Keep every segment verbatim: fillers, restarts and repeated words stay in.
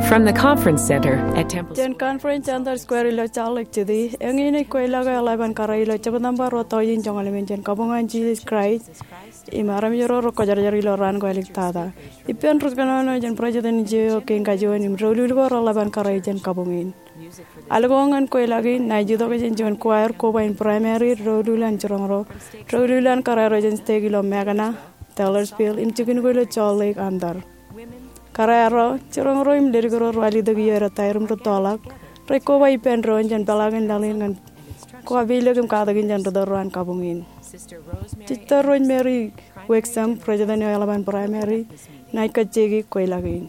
From the Conference Center at Temple Square. Jān Conference Center Square ilo Salt Lake City, eñin ej kweilọk eo eḷap an kōrā ilo September ruo tọujin joñoul emān jān kabuñ an Jisōs Kraist im armej ro rekwōjarjar ilo raan ko āliktata. Ippān ri kōnono jān president eo kein kajuon im doulul ko reḷap an kōrā jān kabuñ in. Alko ñan kweilọk in, inaaj itok jān juon choir koba in primary, doulul an jiroñ ro, doulul an kōrā ro jān stake ilo Mackinac, Taylorsville, im jikin ko ilo Salt Lake Center. Kōrā ro, jiroñ ro im ledik ro rej itok iiō etaer im rūttoḷọk, rej koba ippān doon jān peḷaakin laḷ in ñan koba peilōk im katakin jān rūtto ro an kabuñ in. Sister Rosemary Wixom, president eo eḷap an primary, inaaj kajjioñ kweilọk in.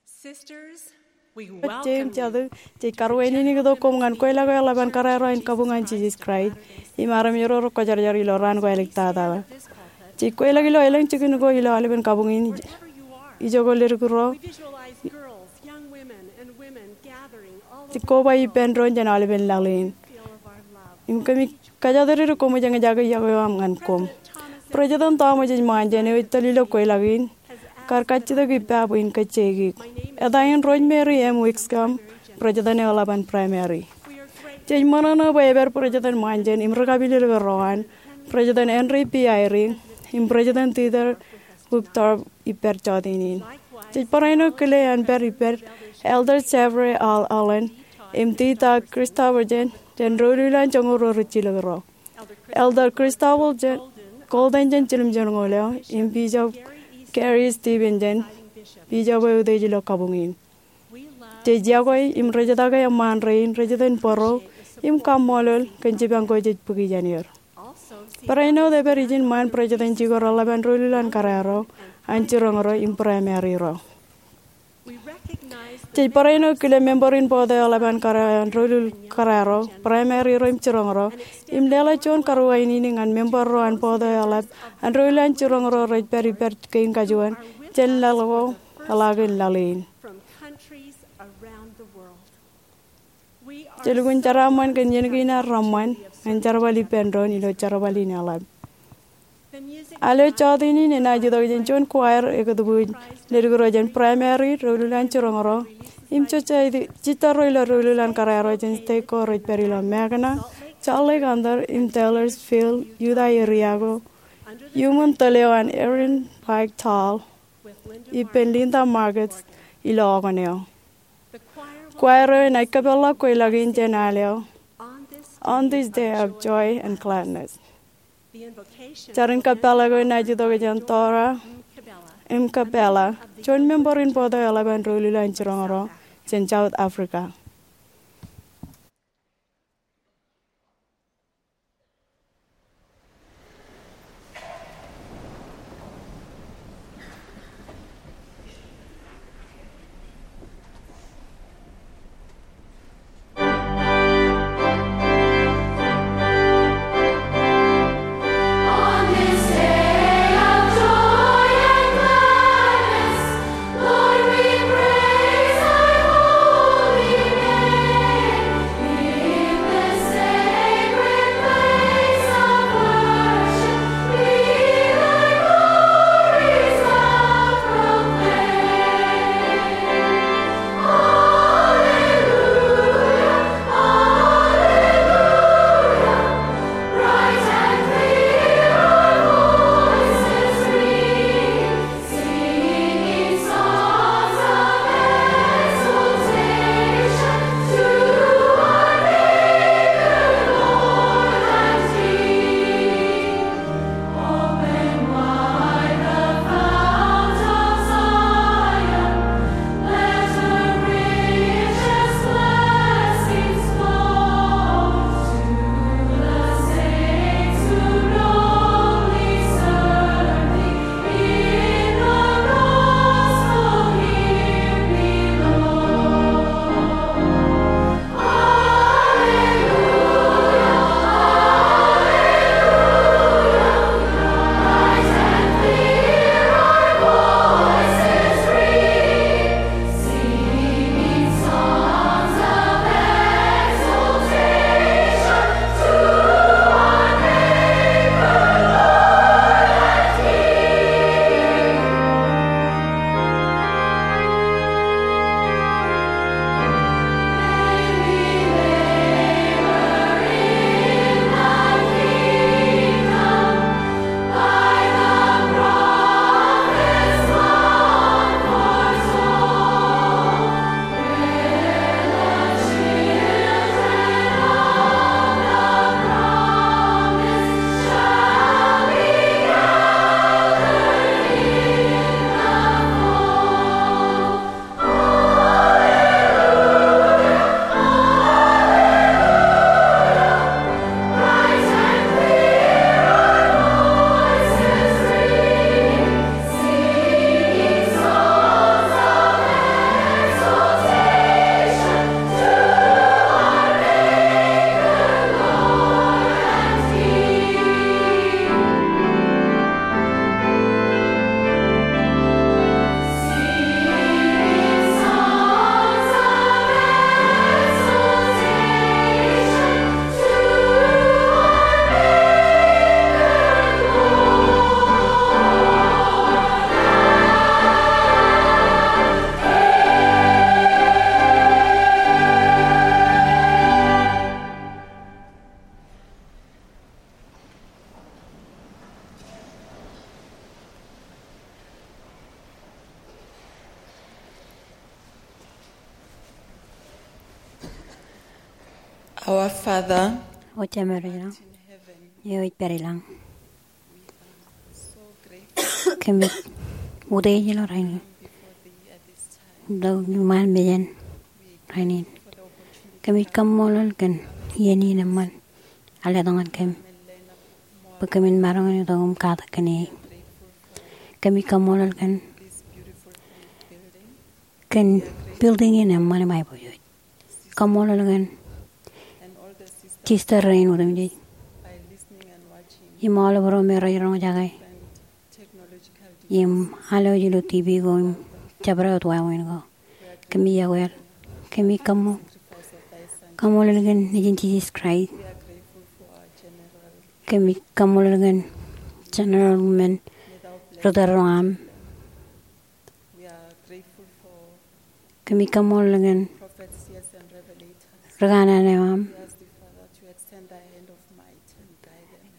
Sisters, we welcome you. Jeiū im jatū, jej karuwainene itok koṃ ñan kweilọk eo eḷap an kōrā ro an kabuñ an Jisōs Kraist im armej ro rekwōjarjar ilo raan ko āliktata. Jej kweilọk ilo elōñ jikin ko ilo aolepen kabuñ in. Ijoko ledik ro. We visualize girls, young women, and women gathering all over the world. Jej koba ippān doon jān aolepen laḷ in. Im kōmij kōjatdikdik koṃij eñjake iọkwe eo aṃ ñan koṃ. President Thomas H. Monson eo ej tōl ilo kweilọk in, kar kajjitōk ippa bwe in kajjioñ. Eta in Rosemary M. Wixom, president eo eḷap an primary. Jej ṃōṇōṇō bwe epād President Monson im ri kapilōk ro an, President Henry B. Eyring, im President Dieter Uchtdorf, ippaṃ jọteen in. Jej barāinwōt kile an pād ippād Elder Jeffrey R. Holland im Dieter Christofferson jān doulul an joñoul ruo rijjilōk ro. Elder Christofferson Golden jān jiljilimjuon ñoul eo, im Bishop Gary Stevenson, bishop eo eutiej ilo kabuñ in. Jej iọkwe im rejtake eṃṃaan rein rej itōn bōro im kaṃṃoolol kōn jipañ ko jej bōki jān er. Barāinwōt epād ijin ṃaan presidency ko reḷap an doulul an kōrā ro an jiroñ ro im primary ro. Jej barāinwōt kile member in board eo eḷap an kōrā an doulul kōrā ro, primary ro im jiroñ ro, im leḷọk juon karuwainene ñan member ro an board eo eḷap an doulul an jiroñ ro rej pād ippād kein kajuon jān laḷ ko, peḷaakin laḷ in. Jej lukkuun jeraaṃṃan kōn iien kein ad reṃṃan ñan jerbal ippān doon ilo jerbal in eḷap. Al eo jọteen in enaaj itok jān juon choir ekōtbwij ledik ro jān primary, doulul an jiroñ ro, im jejjitōl ro ilo doulul an kōrā ro jān stake ko rej pād ilo Mackinac, Salt Lake Center, im Taylorsville, Utah area ko, iuṃwin tōl eo an Erin Pike Tall ippān Linda Margetts ilo okōn eo. Choir eo enaaj kōpeḷḷọk kweilọk in jān al eo On This Day of Joy and Gladness. Jar in kōpeḷḷọk eo enaaj itok jān Dora M. Kabela, juon member in board eo eḷap an doulul an jiroñ ro jān South Africa. Our Father, O Jemem eo ej ilañ, eo ej pād ilañ, kōmij utiej ilo rainin ilo iṃaan mejān rainin. Kōmij kaṃṃoolol kōn iien in eṃṃan ear letok ñan kōm bwe kōmin maroñ in itok im katak kōn e. Kōmij kaṃṃoolol kōn kōn building in eṃṃan im aiboojoj. Kaṃṃoolol kōn sister rein otemjej im aolep ro me rej roñjake im alwōj ilo TV ko im jabdewōt wāween ko. Kōmij iọkwe eok. Kōmij kaṃṃoolol kōn Nejin Jisōs Kraist. Kōmij kaṃṃoolol kōn General men ri tōl ro aṃ. Kōmij kaṃṃoolol kōn ri kanaan eo aṃ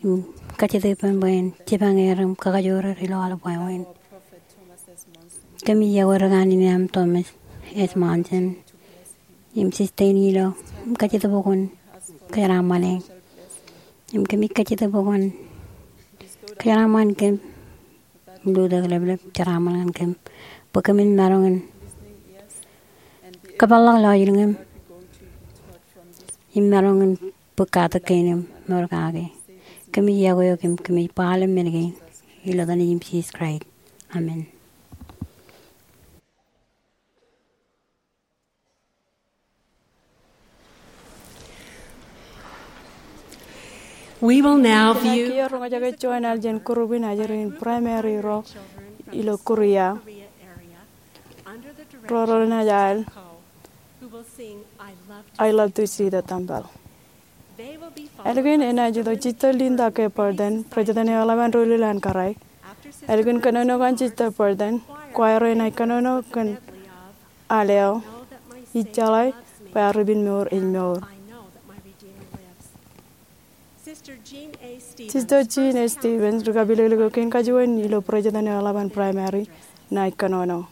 im kajjitōk ippān bwe en jipañ er im kakajoor er ilo aolep wāween. Kōmij iọkwe ri kanaan eo aṃ Thomas S. Monson im sister in ilo im kajjitōk bwe kwōn kōjeraaṃṃan e. Im kōmij kajjitōk bwe kwōn kōjeraaṃṃan kōm im lutōk leplep jeraaṃṃan ñan kōm bwe kōmin maroñ in kōpeḷḷọk lọjilñōm im maroñ in bōk katak kein im mour kake. Kōmij iọkwe eok im kōmij ba aolep men kein ilo etan Nejin Jisōs Kraist. Amen. We will now view. Kiiō roñjake juon aljān group in ajri in primary ro ilo Korea. Ro rej naaj al I Love to See the Temple. Ālikin enaaj itok Sister Linda K. Burton, President eo eḷap an doulul an kōrā. Ālikin kōnono kōn Sister Burton, choir eo enaaj kōnono kōn al eo, Ij jeḷā bwe ear ipin mour ej mour. Sister Jean A. Stevens ri kapilōklōk eo kein kajuon ilo President eo eḷap an primary enaaj kōnono.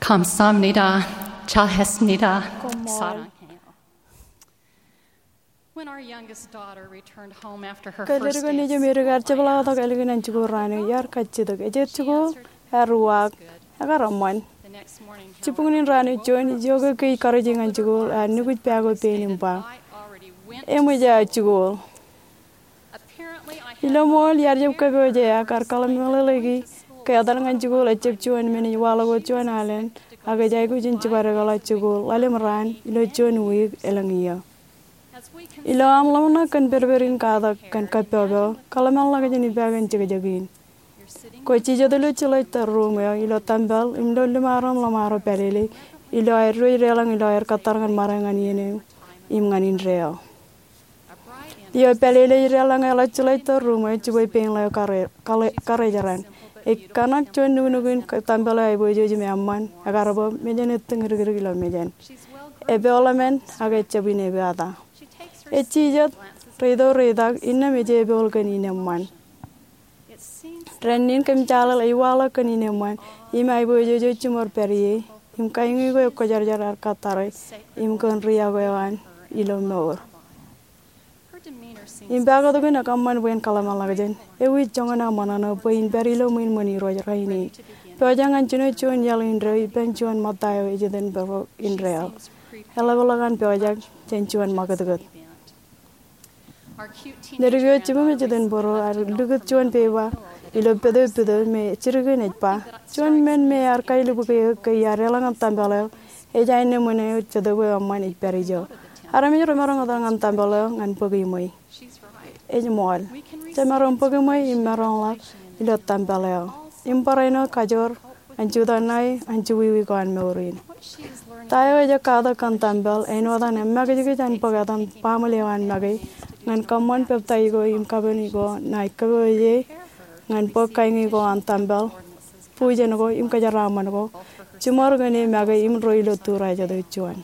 Kamshamnida, chahesnida, koṃṃool. When our youngest daughter returned home after her first day of school, I asked her what she was doing. Ke ledik eo nejū im edik ear jepḷaaktok ālikin an jikuuḷ raan eo, iar kajjitōk. Ej jikuuḷ? Ear uwaak, ekar eṃṃan. Jibboñin raan eo juon, ijoke kōj karuj ñan jikuuḷ, ak nukuj pā ko pein im ba, eṃōj aō jikuuḷ. Ilo ṃool, iar jab kōpooje ak ear kōḷmānḷọkḷọki ke etal ñan jikuuḷ ejjab juon men ej waḷọk wōt juon alen, ak ej aikuj in jibadekḷọk jikuuḷ ḷalem raan ilo juon wiik elōñ iiō. Ilo aṃ ḷōmṇak kōn pedped in katak kōn kōppopo, kōḷmānḷọkjeṇ ippa kōn jekjekin. Kwōj jijet ilo jeḷā tōl ruuṃ eo ilo tempel im lolliṃaro im ḷōṃaro pālele ilo aer diwōj deḷọñ ilo aer kōttar ñan ṃade ñan iien eo im ñan indeeo. Eo pālele ej deḷọñ eḷap jeḷā tōl ruuṃ eo, jibwe pein ḷeo kare-, kare-, karejeran. Ej kōṇak juon nuknuk in tempel eo aiboojoj im eṃṃan, ekar bōb mejān ettōñ dikdik ilo mejān. Epoḷ emān ak ejjab in epeata. Ej jijet, reitok reitak, innām ej epoḷ kōn in eṃṃan. Dān in kōm jaḷaḷ ej waḷọk kōn in eṃṃan, im aiboojoj eo jiṃor pād ie, im kaiñi ko ekwōjarjar ear kōttare, im kōn riọk eo an ilo mour. Im ba kōtkin ekōṃṃan bwe en kōḷmānḷọkjeṇ, ewi joñan aō ṃōṇōṇō bwe in pād ilo ṃwiin ṃōn Irooj rainin? Pojak ñan jino juon iaḷ indeeo ippān juon ṃōtta eo ej iten bōro indeeo. Eḷapḷọk an pojak jān juon ṃakūtkūt. Ledik eo jibūṃ ej iten bōro ear likūt juon peba ilo pād eo pād eo me jidik in ej ba, juon men me ear kailubuk eō ke iar deḷọñ tempel eo, ej aenōṃōn eo Jetōb eo eṃṃan ej pād ijo. Armej remaroñ etal ñan tempel eo ñan bōk iṃwe. Ej ṃool. Jemaroñ bōk iṃwe im maroñḷọk ilo tempel eo im barāinwōt kajoor an jutak ṇae an juwiwi ko an mour in. Ta eo ej katak kōn tempel, āinwōt an emakijkij an bōk etan baaṃle eo an make ñan kōṃṃan peptaij ko im kapen ko ṇae kōpooje ñan bōk kaiñi ko an tempel, bujen ko im kōjeraaṃṃan ko, jiṃor kōn e make im ro ilo turajet eo juon.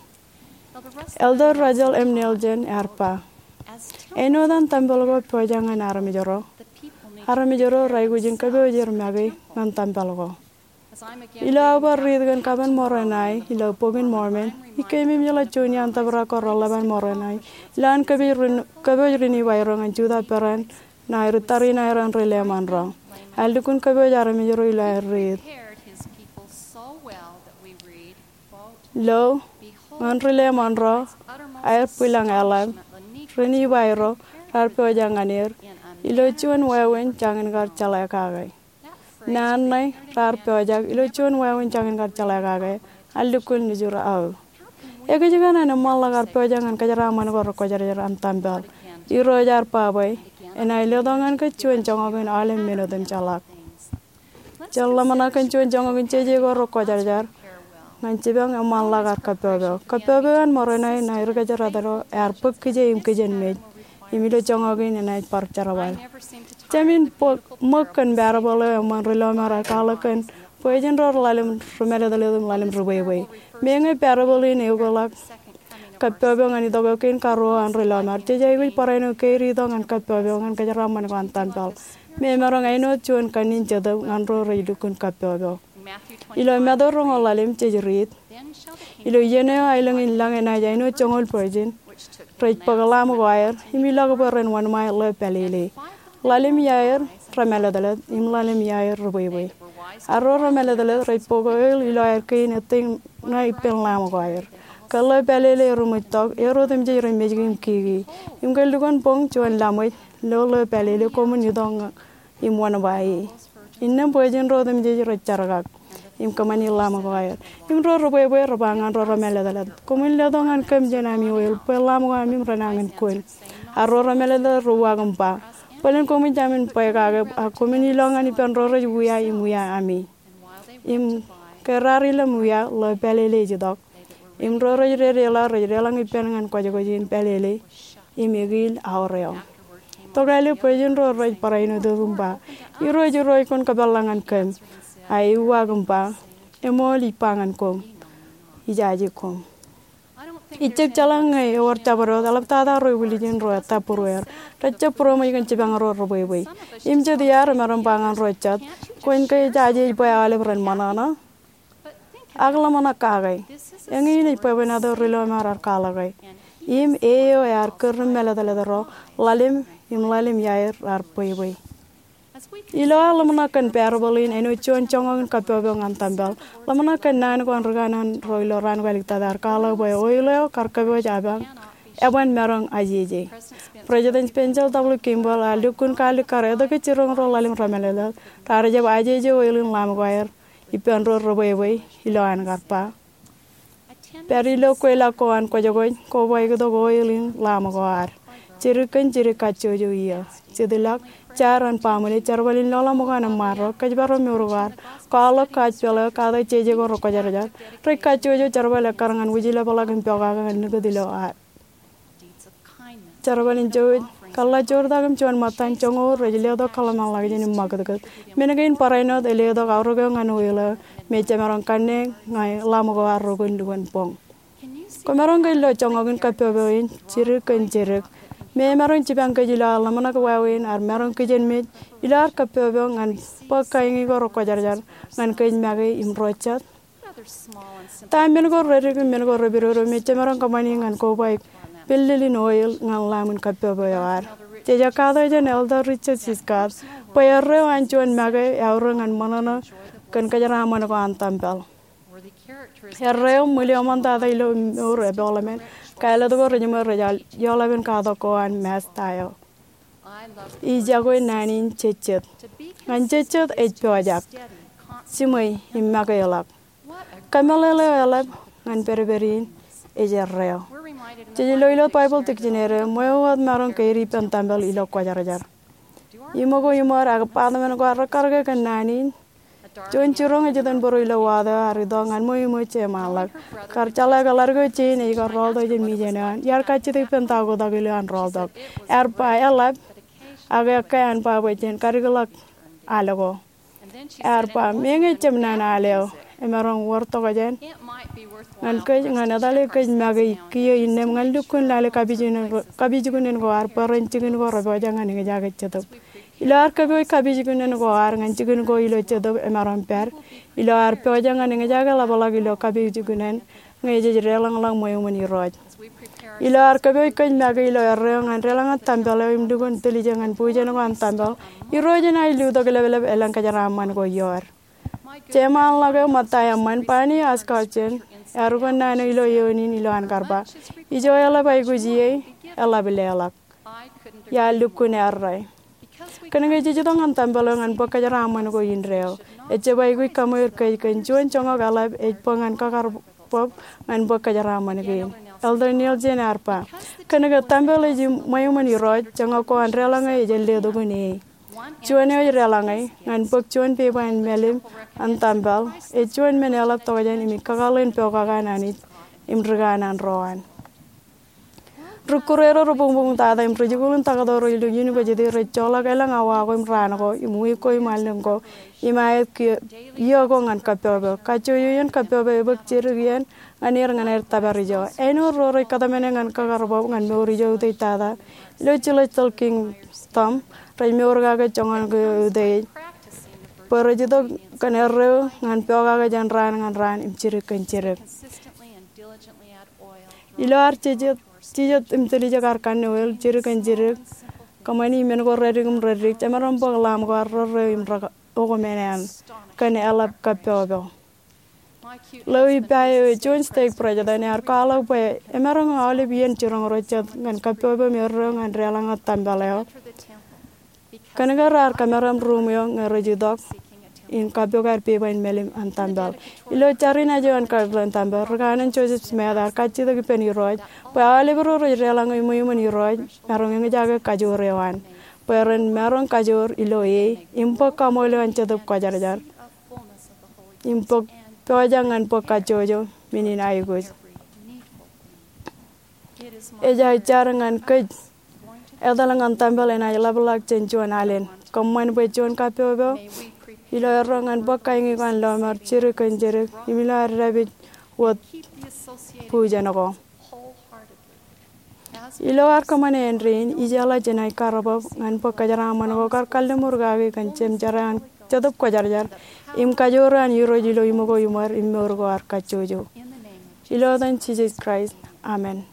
Elder Russell M. Nelson ear ba, āinwōt an tempel ko pojak ñan armej ro, armej ro raikuj in kōpooj er make ñan tempel ko. Ilo aō bar riit kōn kapen Moroni ilo Bok in Mormon, ij keememej ḷọk juon iaan tōprak ko reḷḷap an Moroni ilo an kōpooj ri-, kōpooj ri Nifai ro ñan jutak peran ṇae ri tariṇae ro an ri leṃōn ro. Ear lukkuun kōpooj armej ro ilo aer riit. Lo, ñan ri leṃōn ro, aer bwilōñ eḷap, ri Nifai ro, raar pojak ñan er ilo juon wāween jañin kar jeḷā kake. Naan ṇe raar pojak ilo juon wāween jañin kar jeḷā kake, ear lukkuun lujur aō. Ekōjkan an eṃṃanḷọk ar pojak ñan kōjeraaṃṃan ko rekwōjarjar an tempel? Irooj ear ba bwe enaaj letok ñan kōj juon joñak in aolep men otemjeḷọk. Jen ḷōmṇak kōn juon joñak in jeje ko rekwōjarjar ñan jipañ eṃṃanḷọk ar kōppopo. Kōppopo eo an Moroni ṇae ri kōjdat ro ear bōk kije im kijenmej, im ilo joñak in enaaj bar jerbal. Jemān bōk ṃōk kōn parable eo eṃṃan ri lọmọọr ear kwaḷọk kōn bwe jen ro ḷalem ri mālōtlōt im ḷalem ri bwebwe. Meñe parable in eokḷọk kōppopo ñan itok eo kein karuo an ri lọmọọr, jej aikuj barāinwōt keid itok ñan kōppopo ñan kōjeraaṃṃan ko an tempel me emaroñ āinwōt juon kanniōk in Jetōb ñan ro rej lukkuun kōppopo. Ilo Matu roñoul ḷalem jej riit, ilo iien eo aelōñ in lañ enaaj āinwōt joñoul virgin rej bōk lamb ko aer im ilọk bwe ren wōnṃae ḷeo pālele. Ḷalem iaer remālōtlōt im ḷalem iaer ri bwebwe. Arro remālōtlōt rej bōk oil ilo aer kein ettōñ ṇae ippān lamb ko aer. Ke ḷeo pālele eruṃwij tok, er otemjej rej mejki im kiki. Im ke lukkuun boñ juon laṃōj lo ḷeo pālele, koṃwin itok im wōnṃae e. Innām bwe jen ro otemjej rej jerkak im kōṃṃani lamb ko aer. Im ro ri bwebwe re ba ñan ro remālōtlōt, koṃwin letok ñan kōm jān ami oil bwe lamb ko ami renañin kōn. Arro remālōtlōt re uwaak im ba, bōlen koṃij jamin bwe kake, ak koṃwin ilọk ñan ippān ro rej wia im wia ami. Im ke raar ilōñ wia, ḷeo pālele ej itok. Im ro rej dedeḷọk rej deḷọñ ippān ñan kwōjkwōj in pālele im ekiil aoreo. Tokālik bwe jen ro rej barāinwōt im ba, Irooj, Irooj, kwōn kōpeḷḷọk ñan kōm. A e uwaak im ba, eṃool ij ba ñan koṃ, ijaje koṃ. Ijjab jeḷā ñe ewōr jabdewōt, eḷaptata ro ilju in ro ettā būrueir. Rejjab būroṃōj kōn jipañ ro ri bwebwe. Im jet iar remaroñ ba ñan ro jet, kwōn ke ijaje ej bwe aolep ren ṃōṇōṇō? Ak ḷōmṇak kake. Eñin ej bwebwenato ri lọmọọr ear kwaḷọke. Im e eo ear kūr ri mālōtlōt ro, ḷalem im ḷalem iaer raar bwebwe. Ilo ad ḷōmṇak kōn parable in āinwōt juon joñak in kappọkpọk ñan tempel, ḷōmṇak kōn naan ko an ri kanaan ro ilo raan ko āliktata ear kwaḷọk bwe oil eo kar kōpooj eban maroñ ajeje. President Spencer W. Kimball ear lukkuun kalikkar etke jiroñ ro ḷalem remeḷeḷeḷ raar jab ajeje oil in lamok ko aer ippān ro rebwebwe ilo an kar ba, pād ilo kweilọk ko an kwōjkwōj, kobaiktok oil in lamok ko ad. Jidik kōn jidik kajjojo iiō. Jitḷọk, jaar an baaṃle, jerbal in lọḷọk ṃōk an eṃṃaan ro, kōjparok mour ko ad, kwaḷọk kaaj peḷ eo, katak jeje ko rekwōjarjar. Rej kajjojo jerbal ekkar ñan wūjlepḷọk im pokake ñan likūt ilo ad. Jerbal in jouj, kōḷḷajoortak im juon ṃōttan joñoul rej letok kōḷmānḷọkjeṇ im ṃakūtkūt. Men kein barāinwōt ej letok aorōk eo ñan oil eo me jemaroñ kanne ñe lamok ko ad rokun lukkuun boñ. Kwōmaroñ ke lo joñak in kappọkpọk in jidik kōn jidik me emaroñ jipañ kōj ilo ad ḷōmṇak wāween, ad maroñ kijenmej ilo ad kappọkpọk ñan bōk kain ko rekwōjarjar ñan kōj make im ro jet? Ta men ko reddik im men ko repidodo me jemaroñ kōṃṃani ñan kobaik pillin oil ñan lamok in kappọkpọk eo ad? Jej katak jān Elder Richard C. Scott bwe erreo an juon make eaorōk ñan ṃōṇōṇō kōn kōjeraaṃṃan ko an tempel. Erreo ṃwil eo ṃōn tata ilo mour epooḷōmān, kālet ko rejiṃwe rej aolep in katak ko an Masta eo. Ij iọkwe naan in jejjet. Ñan jejjet ej pojak, jiṃwe im makeḷọk. Kōmeḷeḷe eo eḷap ñan pedped in ej erreo. Jej lo ilo Baibōḷ dictionary, ṃweo wōt maroñ keid ippān tempel ilo kwōjarjar. Iṃōko iṃōd ak baaṃle ko ad rekarōke kōn naan in? Juon jiroñ ej itok bōro ilo water eo ear itok ñan ṃweo iṃōj jeṃaanḷọk. Kar jeḷā ke ḷadik eo jein ej kar rọọltok jān mijen eo an, iar kajjitōk ippān ta oktak ilo an rọọltok. Ear ba eḷap, ak ekkā an ba bwe jen kadikḷọk al ko. Ear ba, meñe jab naan al eo, emaroñ wōr tokjān ñan kōj ñan etale kōj make kiiō innām ñan lukkuun lale kapijuknen ko, kapijuknen ko ad bwe ren jikin ko repojak ñan eñjake jetōb. Ilo ad kōpooj kapijuknen ko ad ñan jikin ko ilo jetōb, emaroñ pād ilo ad pojak ñan eñjake ḷapḷọk ilo kapijuknen ñe jej deḷọñḷọk ṃweo iṃōn Irooj. Ilo ad kōpooj kōj make ilo erreo ñan deḷọñe tempel eo im lukkuun tiljek ñan bujen ko an tempel, Irooj enaaj lutok leplep elōñ kōjeraaṃṃan ko ioer. Jeṃaanḷọk eo ṃōtta eṃṃan, Barney Oshkosh, ear ukōt naan eo ilo eoon in ilo an kar ba, ijo eḷap aikuj ie, eḷap leḷọk. Iar lukkuun errā. Kōnke jej itok ñan tempel eo ñan bōk kōjeraaṃṃan ko indeeo, ejjab aikuj kaṃweer kōj kōn juon joñak eḷap ej bōk ñan kakar bōb ñan bōk kōjeraaṃṃan kein. Elder Nielsen ear ba, kōnke tempel ej ṃweo iṃōn Irooj, joñak ko an deḷọñe ej letok in e. Juon eo ej deḷọñe ñan bōk juon pepa in mālim an tempel ej juon men eḷap tokjān im ej kakōḷḷe in pokake an Anij im ri kanaan ro an. Ri-Kūrero rebuñbuñ tata im rijikuuḷ in taktō ro ilo university rej joḷọk elōñ awa ko im raan ko im wiik ko im allōñ ko im aet kiiō, iiō ko ñan kappọkpọk. Kajjojo iien kappọkpọk ebōk jidik iien ñan er ñan aer tōpar ijo. Āinwōt ro rej kōtmāne ñan kakar bōb ñan mour ijo utiej tata ilo celestial kingdom, rej mour kake joñan ko utiej bwe rej itok kōn erreo ñan pokake jān raan ñan raan im jidik kōn jidik. Ilo ad jijet, jijet im tiljek ad kanne oil jidik kōn jidik, kōṃṃani men ko reddik im reddik, jemaroñ bōk lamok ko ad rerreo im rej okmān kōn eḷap kappọkpọk. Ḷeo ippa eo, juon stake president, ear kwaḷọk bwe emaroñ aolep iien jiroñ ro jet ñan kappọkpọk im erreo ñan deḷọñe tempel eo. Kōnke raar kōmeram ruum eo ñe rej itok in kappok aer pepa in mālim an tempel. Ilo jar in aje an Kirtland Tempel, ri kanaan Joseph Smith ear kajjitōk ippān Irooj bwe aolep ro rej deḷọñe ṃweo iṃōn Irooj maroñ eñjake kajoor eo an, bwe ren maroñ kajoor ilo e im bōk kaṃool eo an Jetōb Kwōjarjar im bōk pojak ñan bōk kajjojo men in aikuj. Ej aō jar ñan kōj. Etal ñan tempel enaaj ḷapḷọk jān juon alen. Kōṃṃan bwe juon kappọkpọk ilo erreo ñan bōk kain ko an lọmọọr jidik kōn jidik im ilo ad dāpij wōt bujen ko. Ilo ad kōṃṃane āindein, ijeḷā jenaaj kar bōb ñan bōk kōjeraaṃṃan ko kar kalliṃur kaki kōn jemjerā an Jetōb Kwōjarjar im kajoor an Irooj ilo iṃōko iṃōd im mour ko ad kajjojo. Ilo etan Jisōs Kraist, amen.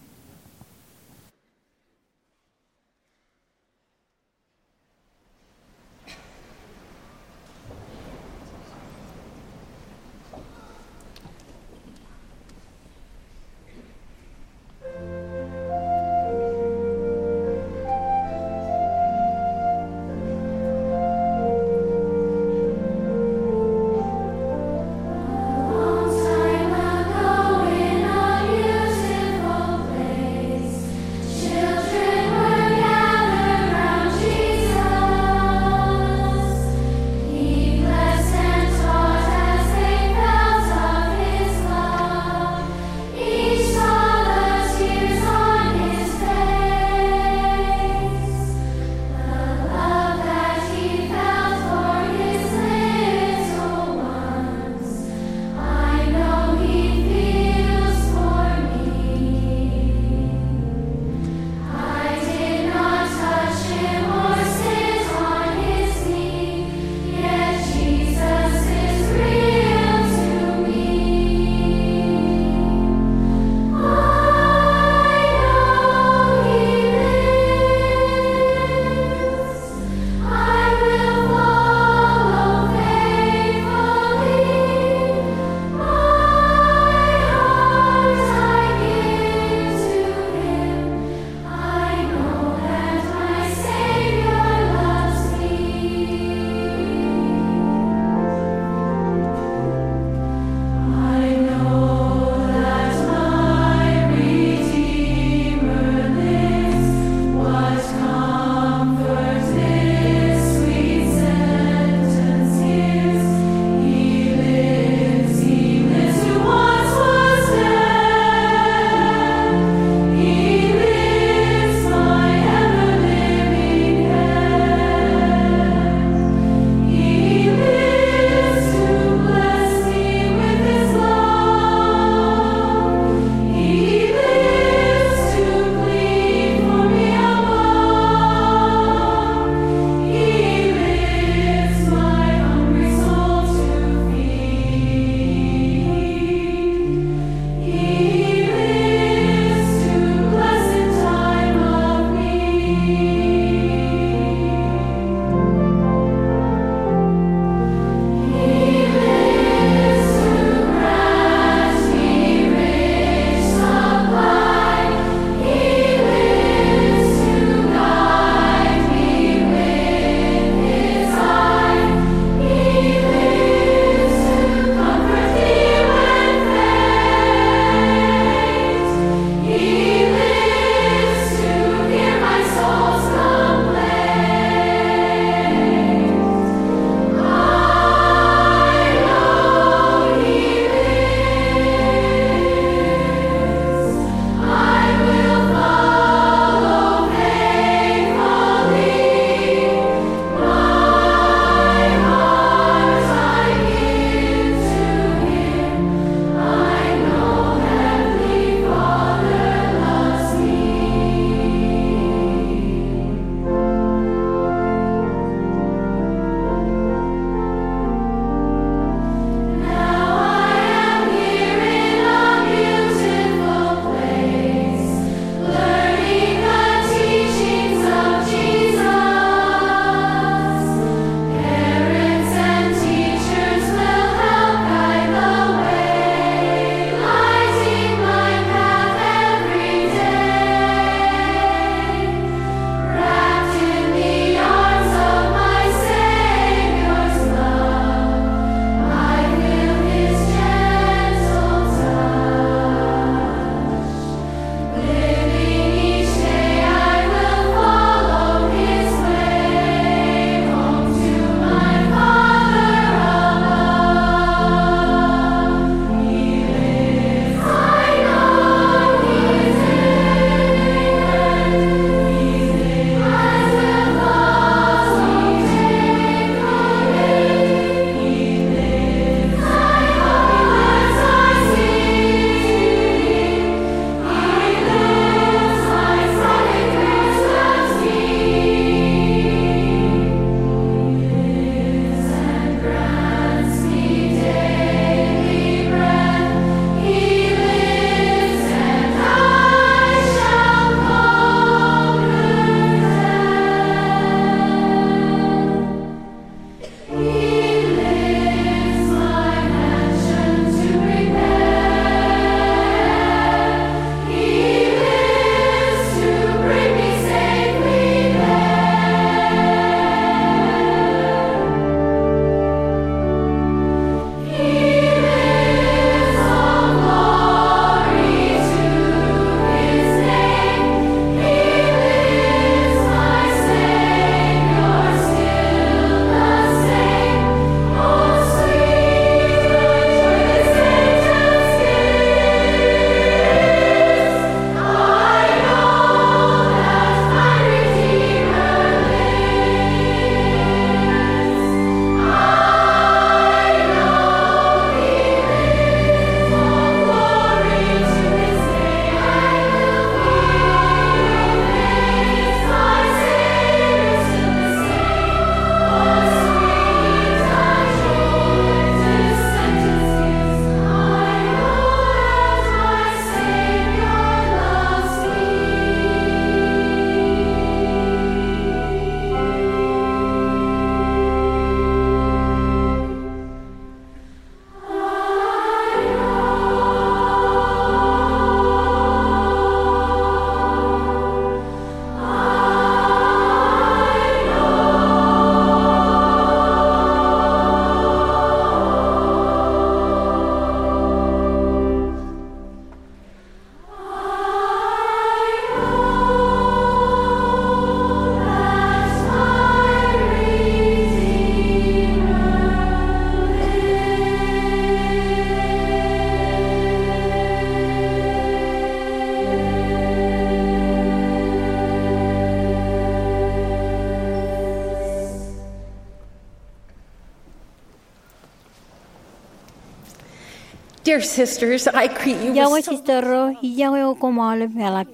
Dear sisters, I greet you with Iọkwe so sisters ro, ij iọkwe eok koṃ aolep eḷap.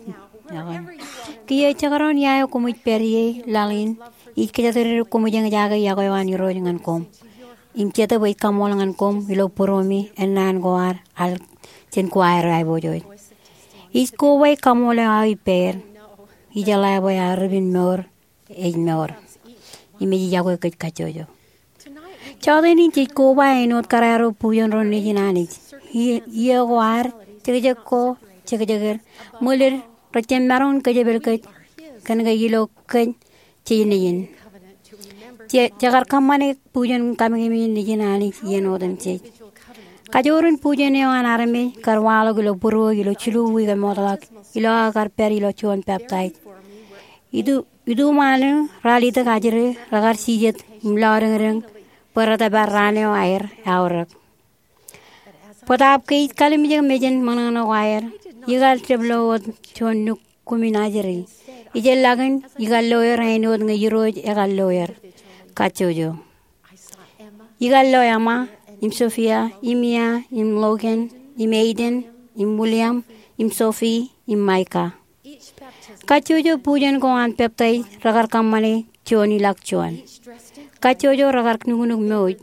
Iọkwe. Kiiō jekdọọn ia eo koṃij pād ie laḷ in, ij kōjatdikdik koṃij eñjake iọkwe eo an Irooj ñan koṃ im Jetōb ej kaṃool ñan koṃ ilo būruemi ennaan ko ad al jān kuwaer eo aiboojoj. Ij koba kaṃool eo aō ippāer. Ijeḷā bwe aō ripin mour ej mour im ej iọkwe kōj kajjojo. Jota in jej koba āinwōt kōrā ro bujen ro nejin Anij. Iiō ko ad, jekjek ko, jekjek er, ṃwilōd, rej jab maroñ in kōjepel kōj kōn ke ilo kōj jej nejin. Je, jekar kōṃṃane bujen kamekemein nejin Anij iien otemjej. Kajoor in bujen eo an armej kar waḷọk ilo būruō ilo jilu wiik eṃootḷọk ilo aō kar pād ilo juon peptaij. Itu, ituṃaan raar itok ajri, rekar jijet im lọdeñdeñ bwe retōpar raan eo aer aorōk. Bōtaab ke ij kalimjek mejān ṃōṇōṇō ko aer, ikar jab lo wōt juon nukkumin ajri. Ijellọkin ikar lo er āinwōt ñe Irooj ekar lo er kajjojo. Ikar lo Emma, im Sophia, im Mia, im Logan, im Aiden, im William, im Sophie, im Micah. Kajjojo bujen ko an peptaij rekar kōṃṃane juon ilọk juon. Kajjojo rekar nuknuk mour.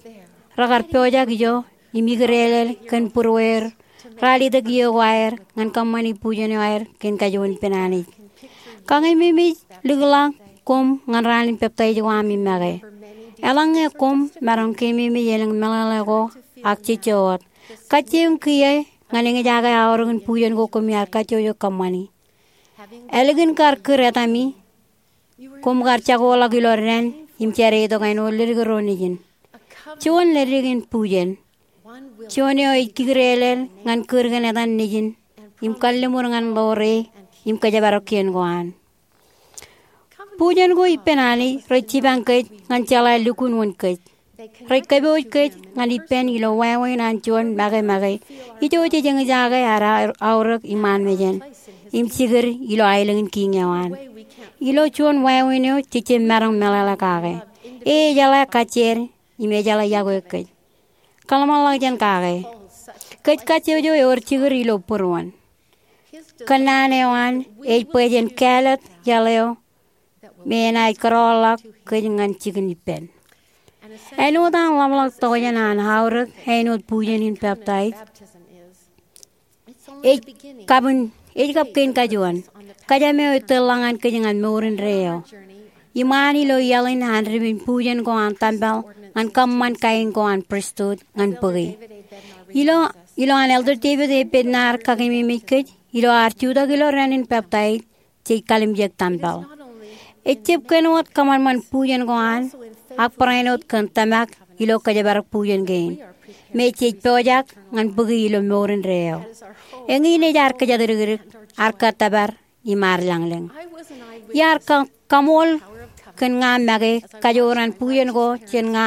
Rekar pojak ijo im ikdeḷeḷ kōn būrueir raar itok iiō ko aer ñan kōṃṃani bujen eo aer kōn kajuon ippān Anij. Kakeememej likḷọk koṃ ñan raan in peptaij ko aṃ im make. Eḷaññe koṃ maroñ keememej elōñ meḷeḷe ko ak jejjo wōt, kajjioñ kiiō ñan eñjake aorōk in bujen ko koṃ iar kajjojo kōṃṃani. Ālikin kar kūr etaṃ ie, koṃ kar jakoḷọk ilo dān im jade itok āinwōt ledik ro nejin. Juon ledik in bujen. Juon eo ej kikdeḷeḷ ñan kūr kōn etan nejin im kalliṃur ñan ḷoore im kōjparok kien ko an. Bujen ko ippān Anij rej jipañ kōj ñan jeḷā lukkuun wōn kōj. Rej kōpooj kōj ñan ippān ilo wāween an juon make make ijo jej eñjake ad aorōk iṃaan mejān im jikid ilo aelōñ in Kiiñ eo an. Ilo juon wāween eo jej jab maroñ meḷeḷe kake. E ejeḷā kajjien im ejeḷā iọkwe kōj. Kōḷmānḷọkjeṇ kake. Kōj kajjojo ewōr jikid ilo būruon. Kōnnaan eo an ej bwe jen kāālōt iaḷ eo me enaaj kōrọọlḷọk kōj ñan jikin ippān. Āinwōt an ḷapḷọk tokjān an aorōk āinwōt bujen in peptaij, ej kab in, ej kab kein kajuon. Kōjām eo ej tōl ḷọk ñan kōj ñan mour indeeo. Iṃaan ilo iaḷ in an ripin bujen ko an tempel ñan kōṃṃan kain ko an pristut ñan bōki. Ilo, ilo an Elder David A. Bednar kakeememej kōj ilo ad jutak ilo dān in peptaij, jej kalimjek tempel. Ejjab kōn wōt kōṃanṃan bujen ko an, ak barāinwōt kōn tōmak ilo kōjparok bujen kein me jej pojak ñan bōki ilo mour indeeo. Eñin ej ad kōjatdikdik, ad kōttōpar im ad lañlōñ. Iar ka, kaṃool kōn ña make kajoor an bujen ko jān ña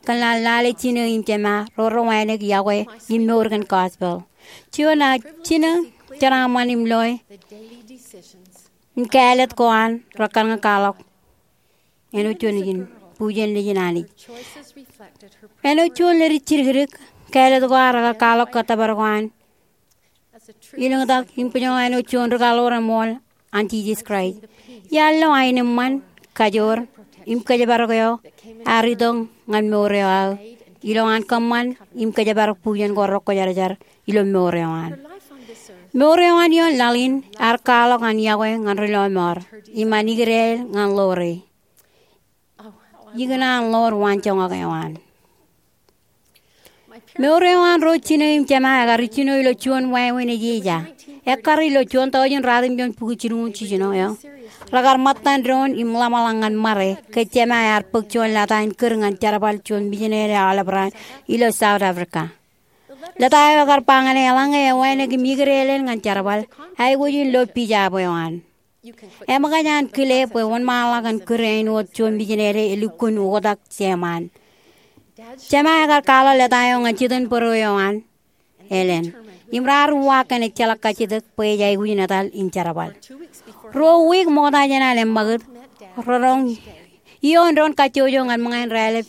kōn lale jino im jema ro rewānōk iọkwe im mour kōn gospel. Juon aō jino jeraaṃṃan im loe im kāālōt ko an rekar ña kwaḷọk āinwōt juon nejin, bujen nejin Anij. Āinwōt juon ledik jidikdik, kāālōt ko an rekar kwaḷọk kōttōpar ko an ilōñtak im kōjro āinwōt juon ri-kaḷoor eṃool an Jisōs Kraist. Iar lo aenōṃṃan, kajoor, im kōjparok eo ear itok ñan mour eo aō ilowaan kōṃṃan im kōjparok bujen ko rekwōjarjar ilo mour eo an. Mour eo an ioon laḷ in ear kwaḷọk an iọkwe ñan ri lọmọọr im an ikdeḷeḷ ñan ḷoore. Ikōṇaan ḷoor waanjoñak eo an. Mour eo an ro jino im jema ekar ijjino ilo juon wāween ej eja. Ekkar ilo juon taujin ratimjuon bukwi jilñuul jiljino eo, rekar ṃōttan doon im ḷōmṇak ñan ṃare ke jema ear bōk juon lōta in kūr ñan jerbal juon mijinede aolep raan ilo South Africa. Lōta eo ekar ba ñan e eḷaññe ewānōk im ikdeḷeḷ ñan jerbal, aikuj in lo pija eo an. Eṃōkaj an kile bwe wōnṃaanḷọk kōn kūr āinwōt juon mijinede elukkuun oktak jeṃaan. Jeṃa ekar kwaḷọk lōta eo ñan jitōnbōro eo an, Ellen, im raar uwaak kōn ejjeḷọk kajjitōk bwe ej aikuj in etal in jerbal. Ruo wiik ṃokta jān an eṃṃakūt, redoñ ioon doon kajjojo ñan ṃōñā in raelep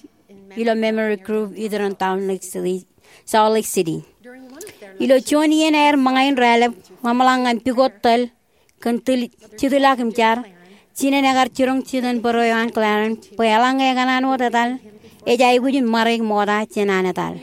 ilo memory group iturūṃ downtown Lake City, Salt Lake City. Ilo juon iien aer ṃōñā in raelep ḷōmṇak ñan pukot tōl kōn tūl jitḷọk im jar, jinen ekar jiroñ jitōnbōro eo an Clarence bwe eḷaññe ekōṇaan wōt etal, ej aikuj in ṃare ṃokta jān an etal.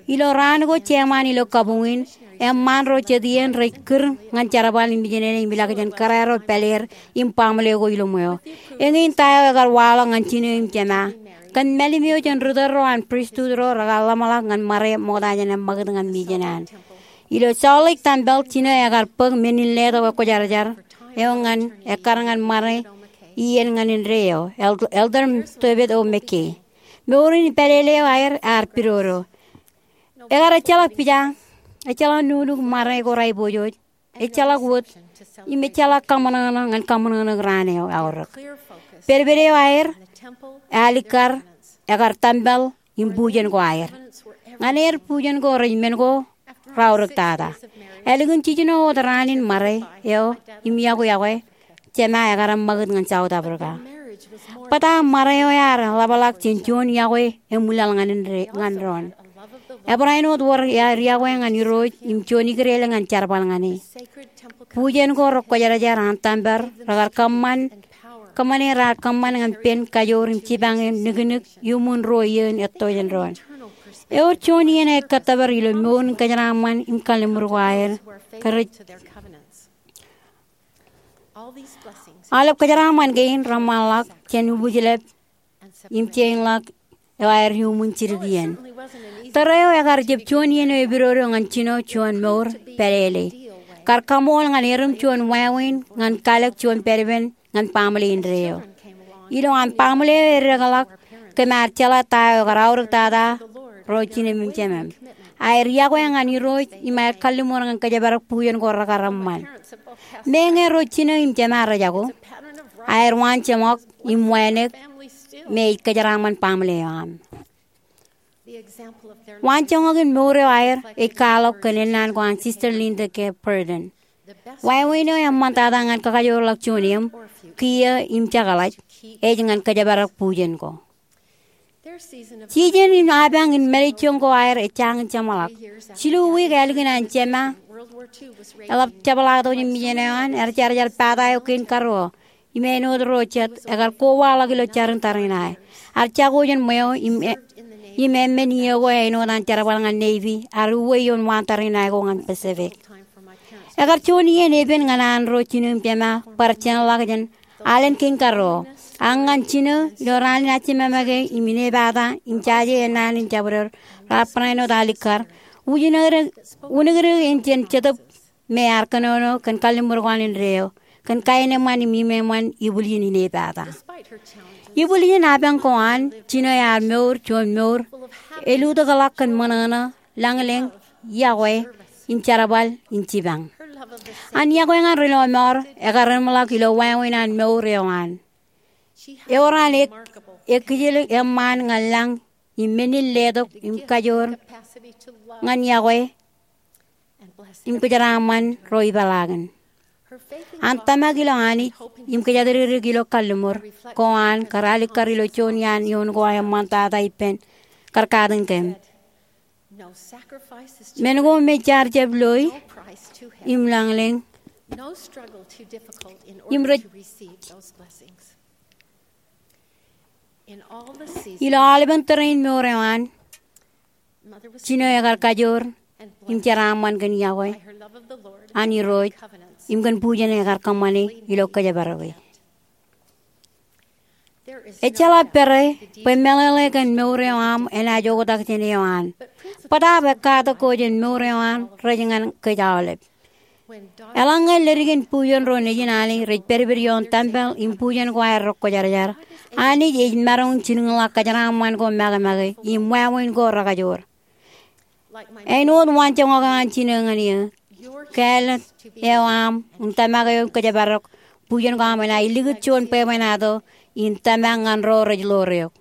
Ilo raan ko jeṃaan ilo kabuñ in, eṃṃaan ro jet iien rej kūr ñan jerbal in mijin eo im ilọk jān kōrā ro pāleer im baaṃle ko ilo ṃweo. Eñin ta eo ekar waḷọk ñan jino im jema. Kōn mālim eo jān ri tōl ro an pristut ro rekar ḷōmṇak ñan ṃare ṃokta jān eṃṃakūt ñan mijin eo an. Ilo Salt Lake Tempel, jino ekar bōk men in letok ekwōjarjar eo ñan ekkar ñan ṃare iien ñan indeeo, Elder Tobit O. McKay. Mour in pālele eo aer ear pidodo. Ekar ejjeḷọk pija, ejjeḷọk nuknuk ṃare ko raipojoj, ejjeḷọk wōt, im ejjeḷọk kaṃōṇōṇō ñan kaṃōṇōṇō raan eo aorōk. Pedped eo aer alikkar ekar tempel im bujen ko aer. Ñan er bujen ko rej men ko raorōktata. Ālikin jiljino wōt raan in ṃare eo im yokwe yokwe, jema ekar eṃṃakūt ñan South Africa. Bōtaab ṃare eo ear ḷapḷọk jān juon yokwe eṃwilaḷ ñan doon. Ebarāinwōt wōr aer yokwe ñan Irooj im juon ikdel ñan jerbal ñan e. Bujen ko rekwōjarjar an tempel rekar kōṃṃane raar kōṃṃan ñan pen kajoor im jipañ in niknik iuṃwin ruo iien etto jān doon. Ewōr juon iien eo ej kōttōpar ilo mour in kōjeraaṃṃan im kalliṃur ko aer. Aolep kōjeraaṃṃan kein reṃṃanḷọk jān ubujlep im jein ḷọk eo aer iuṃwin jidik iien. Tōre eo ekar jab juon iien eo epidodo ñan jino juon mour pālele. Kar kaṃool ñan erom juon wāween ñan kalōk juon pād ippān ñan baaṃle indeeo. Ilo an baaṃle eo eddekḷọk, kōm ar jeḷā ta eo ekar aorōktata ro jinem im jemem. Aer yokwe ñan Irooj im aer kalliṃur ñan kōjparok bujen ko rekar eṃṃan. Meñe ro jino im jema rej jako, aer waanjoñak im wānōk me ej kōjeraaṃṃan baaṃle eo aṃ. Waanjoñak in mour eo aer ej kwaḷọk kōn ennaan ko an Sister Linda K. Burton. Wāween eo eṃṃantata ñan kakajoorḷọk juon eṃ, kiiō im jekḷaj, ej ñan kōjparok bujen ko. Jijen in apañ in mālejjoñ ko aer ej jañin jeṃḷọk. Jilu wiik ālikin an jema eḷap jepḷaaktok jān mijin eo an, ear jar jar pata eo kein karuo im āinwōt ro jet ekar kowaḷọk ilo jarin tariṇae. Ear jako jān ṃweo im eṃṃan iiō ko āinwōt an jerbal ñan Navy, ear uwe ioon waan tariṇae ko ñan Pacific. Ekar juon iien epen ñan an ro jino im jema bar jeṇḷọk jān alen kein karuo. Ak ñan jino, ilo raan in ajimamake im inepata im jaje ennaan in jabdewōt, raar barāinwōt alikkar, wūnōknōk in jān Jetōb me ear kōnono kōn kalliṃur ko an indeeo, kōn kaenōṃṃan im imeṃṃan ibwiljin inepata. Ibwiljin apañ ko an, jino ear mour juon mour elutōkḷọk kōn ṃōṇōṇō, lañlōñ, yokwe, im jerbal in jipañ. An yokwe ñan ri lọmọọr ekar reṃḷọk ilo wāween an mour eo an. Ewōr an ekijeḷ eṃṃaan ñan lañ im men in letok im kajoor ñan yokwe im kōjeraaṃṃan ro ipeḷaakin. An tōmak ilo Anij im kōjatdikdik ilo kalliṃur ko an kar alikkar ilo juon iaan eoon ko eṃṃantata ippān kar katakin kōm. Men ko me jaar jab loi im lañlōñ im rej ilo aolepen tōre in mour eo an, jino ekar kajoor im jeraaṃṃan kōn yokwe an Irooj im kōn bujen ekar kōṃṃane ilo kōjparoke. Ejjeḷọk pere bwe meḷeḷe kōn mour eo aṃ enaaj oktak jān eo an. Bōtaab ekkatak ko jān mour eo an rej ñan kōj aolep. Eḷaññe leddik in bujen ro nejin Anij rej pedped ioon tempel im bujen ko aer rekwōjarjar, Anij ej maroñ in jilkinḷọk kōjeraaṃṃan ko makemake im wāween ko rekajoor. Āinwōt waanjoñak eo an jino ñan eō, kāālōt eo aṃ im tōmak eo im kōjparok bujen ko aṃ enaaj likūt juon bwebwenato in tōmak ñan ro rej ḷoor eok.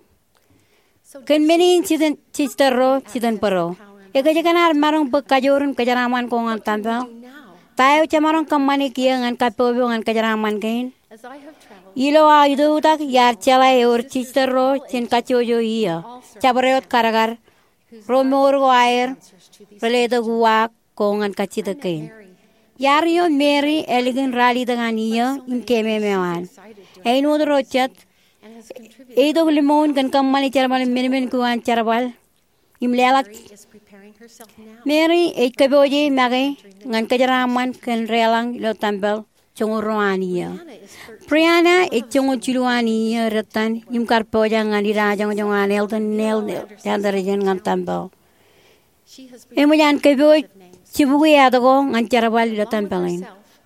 Kōn men in jitōnbōro, jitōnbōro, ekōjkan ad maroñ bōk kajoor im kōjeraaṃṃan ko ñan tempel? Ta eo jemaroñ kōṃṃane kiiō ñan kappok eo ñan kōjeraaṃṃan kein? Ilo aō itok tak iar jeḷā ewōr jitōnbōro jān kajjojo iiō, jabdewōt kadkad, ro mour ko aer reletok uwaak bok ñan kajjitōk kein. Iaar eo Mary ālikin ralitōk an iiō im keememeo an. Āinwōt ro jet, eitok limōin kōn kōṃṃane jerbal in menmen ko an jerbal im leḷọk. Mary ej kōpooje make ñan kōjeraaṃṃan kōn deḷọñ ilo tempel joñoul ruo an iiō. Brianna ej joñoul jilu an iiō dettan im kar pojak ñan idajoñjoñ an Eldon Neil Andersen ñan tempel. Eṃōj an kōpooj jibukwi āt ko ñan jerbal ilo tempel in.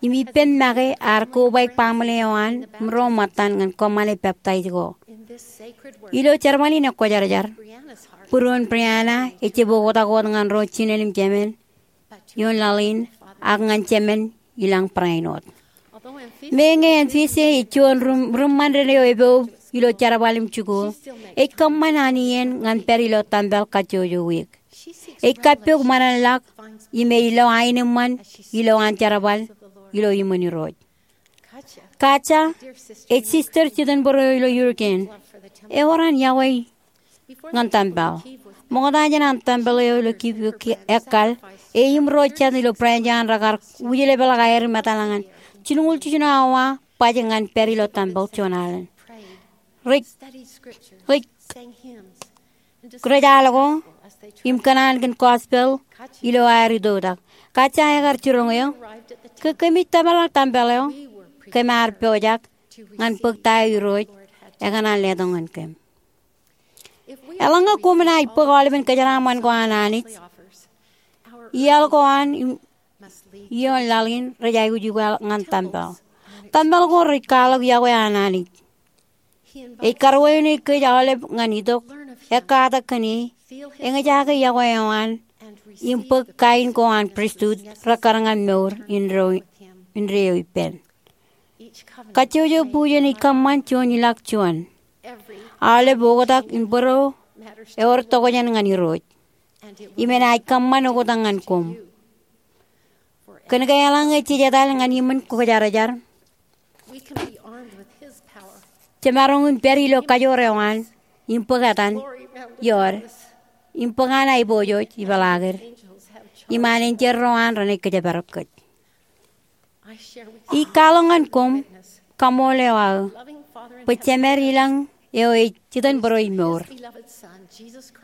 Im ippān make ear kobaik baaṃle eo an im ro ṃōttan ñan kōṃṃane peptaij ko. Ilo jerbal in ekwōjarjar, būruon Brianna ejjab oktak wōt ñan ro jinen im jemān ioon laḷ in, ak ñan jemān i lañ barāinwōt. Meñe Amphitrite ej juon ri-, riṃṃan ren eo epoub ilo jerbal im jikuuḷ, ej kōṃṃan an iien ñan pād ilo tempel kajjojo wiik. Ej kappok ṃōṇōṇōḷọk im ej lo aenōṃṃan ilo an jerbal ilo iṃōn Irooj. Katja, ej sister jitōnbōro eo ilo Yukon, ewōr an yokwe ñan tempel. Ṃokta jān an tempel eo ilo Kyiv ekkar, e im ro jet ilo branch eo an rekar wūjlepḷọk aer im etal ñan jilñuul jiljino awa baj ñan pād ilo tempel juon alen. Rej, rej, rej al ko im kōṇaan kōn gospel ilo aer itoktak. Katja ekar jiroñ eō, ke kōmij tōpar tempel eo, kōm ar pojak ñan bōk ta eo Irooj ekōṇaan letok ñan kōm. Eḷaññe koṃ naaj bōk aolepen kōjeraaṃṃan ko an Anij, iaḷ ko an im ioon laḷ in rej aikuj ikwaḷọk ñan tempel. Tempel ko rej kwaḷọk yokwe an Anij. Ej karuwainwōj kōj aolep ñan itok, ekkatak kōn e, eñjake yokwe eo an, im bōk kain ko an pristut rekkar ñan mour indeeo, indeeo ippān. Kajjojo bujen ej kōṃṃan juon ilọk juon. Aolep oktak in bōro ewōr tokjān ñan Irooj. Im enaaj kōṃṃan oktak ñan koṃ. Kōnke eḷaññe jej etal ñan iṃōn kwōjarjar, jemaroñ in pād ilo kajoor eo an, im bōk etan, iood, im bōk an aiboojoj ipeḷaakid, im an enjeḷ ro an renaaj kōjparok kōj. Ij kwaḷọk ñan koṃ kaṃool eo aō bwe Jemed ilañ eo ej jitōnbōro imour,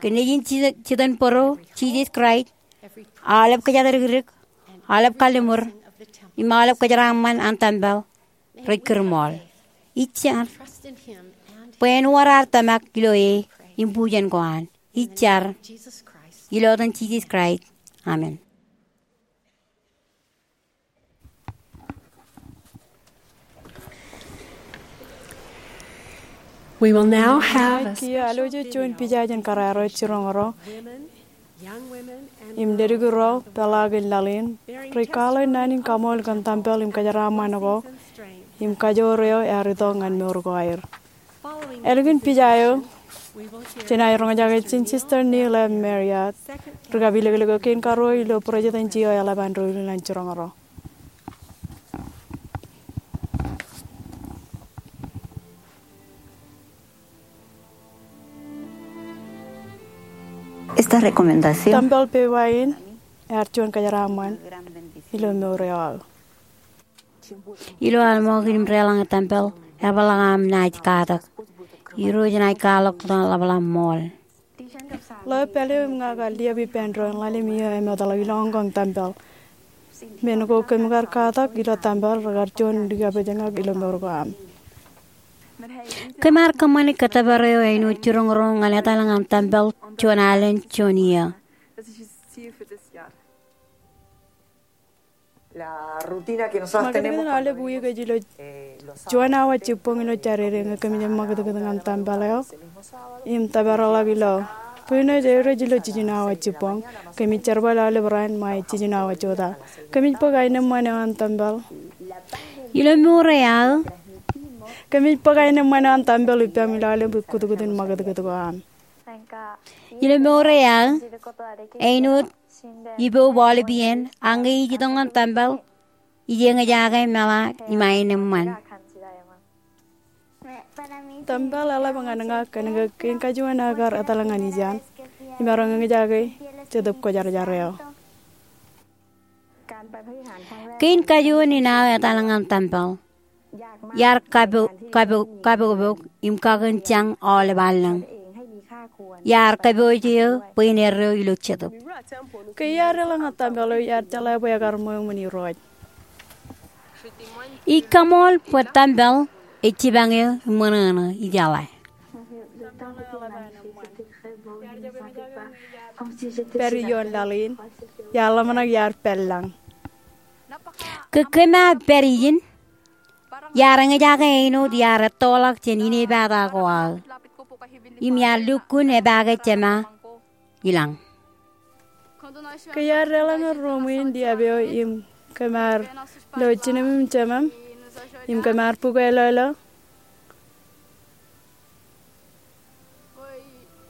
kōn Nejin jitōnbōro Jisōs Kraist, aolep kōjatdikdik, aolep kalliṃur, im aolep kōjeraaṃṃan an tempel rej kūrṃool. Ij jar bwe en wōr ad tōmak ilo e im bujen ko an. Ij jar ilo etan Jisōs Kraist, amen. We will now have a kiiō alwōj juon pija jān kōrā ro jiroñ ro im ledik ro peḷaakin laḷ in rej kwaḷọk naan in kaṃool kōn tempel im kōjeraaṃṃan ko im kajoor eo ear itok ñan mour ko aer. Ālikin pija eo, jenaaj roñjake jān Sister Neal M. Marriott, ri-kapilōklōk eo kein karuo ilo Presidency eo eḷap an doulul an jiroñ ro. Esta recomendación. Tempel pepa in ear juon kōjeraaṃṃan ilo mour eo aō. Ilo aḷ ṃokta im deḷọñe tempel, eḷapḷọk aṃ naaj katak. Irooj enaaj kwaḷọk ḷapḷaak ṃool. Ḷeo pāle eo im ña kar liab ippān doon ḷalem iiō emetḷọk ilo oñkoñ tempel. Men ko kōm kar katak ilo tempel rekar juon likapejñak ilo mour ko am. Kōm ar kōṃṃane kōttōpar eo āinwōt jiroñ ro ñan etal ñan tempel juon alen juon iiō. Ṃakūtkūt in aolep wiik ej ilo juon awa jibboñ ilo Jādede ñe kōmij ṃakūtkūt ñan tempel eo im tōparḷọk ilo. Bwe eo ej average ilo jiljino awa jibboñ, kōmij jerbal aolep raan ṃae jiljino awa jota. Kōmij bōk aenōṃṃan eo an tempel. Ilo mour eo aō, kōmij bōk aenōṃṃan eo an tempel ippaṃ ilo aolep kūtkūt in ṃakūtkūt ko am. Ilo mour eo aō, āinwōt ipoub aolep iien, ak ñe ij itok ñan tempel, ij eñjake meḷa im aenōṃṃan. Tempel eḷap ñan ña kōnke kein kajuon aō kar etal ñan ijeṇ im maroñ eñjake Jetōb Kwōjarjar eo. Kein kajuon in aō etal ñan tempel, iar kapo-, kapo-, kapokpok im kakinjañ aolep allōñ. Iar kōpooj eō bwe in erreo ilo jetōb. Ke iar deḷọñ ñan tempel eo, iar jeḷā bwe ekar ṃweo ṃōn Irooj. Ij kaṃool bwe tempel ej jipañ eō im ṃōṇōṇō, ijeḷā. Pād ioon laḷ in, iar ḷōmṇak iar pād lañ. Ke kōm ar pād ijin, iar eñjake āinwōt iar ettoḷọk jān inepata ko aō im iar lukkuun epaake Jema ilañ. Ke iar deḷọñ ruuṃ in liab eo im kōm ar lo jinōm im jemem im kōm ar bukweilọilo,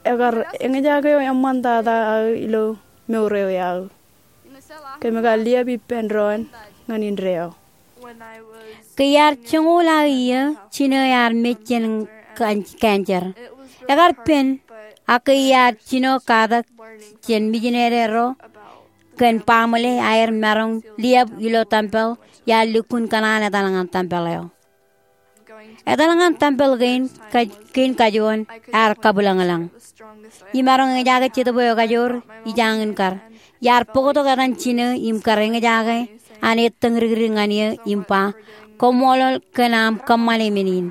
ekar eñjake eō eṃṃantata aō ilo mour eo aō. Kōm kar liab ippān doon ñan indeeo. Ke iar joñoul aō iiō, jino ear mej jān kan-, kanjer. Ekar pen, ak ke iar jino katak jān mijinede ro kōn baaṃle aer maroñ liab ilo tempel, iar lukkuun kōṇaan etal ñan tempel eo. Etal ñan tempel kein ka-, kein kajuon ear kabwilōñlōñ. Imaroñ eñjake jetōb eo ekajoor ijañin kar. Iar bōktok etan jino im kar eñjake an ettōñdikdik ñan eō im ba, koṃṃoolol kōn aṃ kōṃṃane men in.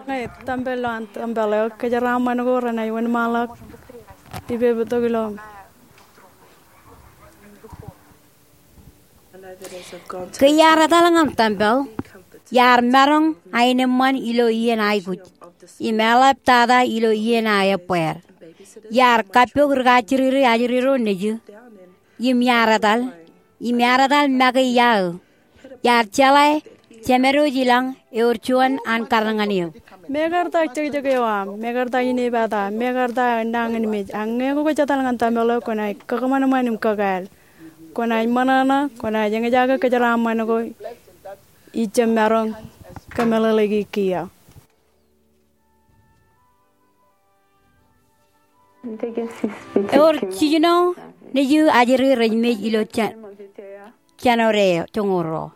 Ñe tempel eo an tempel eo, kōjeraaṃṃan ko renaaj wōnṃaanḷọk ippān bōktok ilo Ke iar etal ñan tempel, iar maroñ aenōṃṃan ilo iien aikuj im eḷaptata ilo iien aō ebbeer. Iar kappok ri kajjiriri ajri ro nejū im iar etal, im iar etal make iaō. Iar jeḷā Jemedwōj ilañ ewōr juon an karōk ñan eō. Mekarta jekjek eo aṃ, mekarta inepata, mekarta nañinmej, ak ñe kwōj etal ñan tempel eo kwōnaaj kakōṃanṃan im kakāāl. Kwōnaaj ṃōṇōṇō, kwōnaaj eñjake kōjeraaṃṃan ko ij jab maroñ kōmeḷeḷeiki kiiō. Ewōr jiljino nejū ajri rej mej ilo jān-, jānwōj eo joñoul ruo.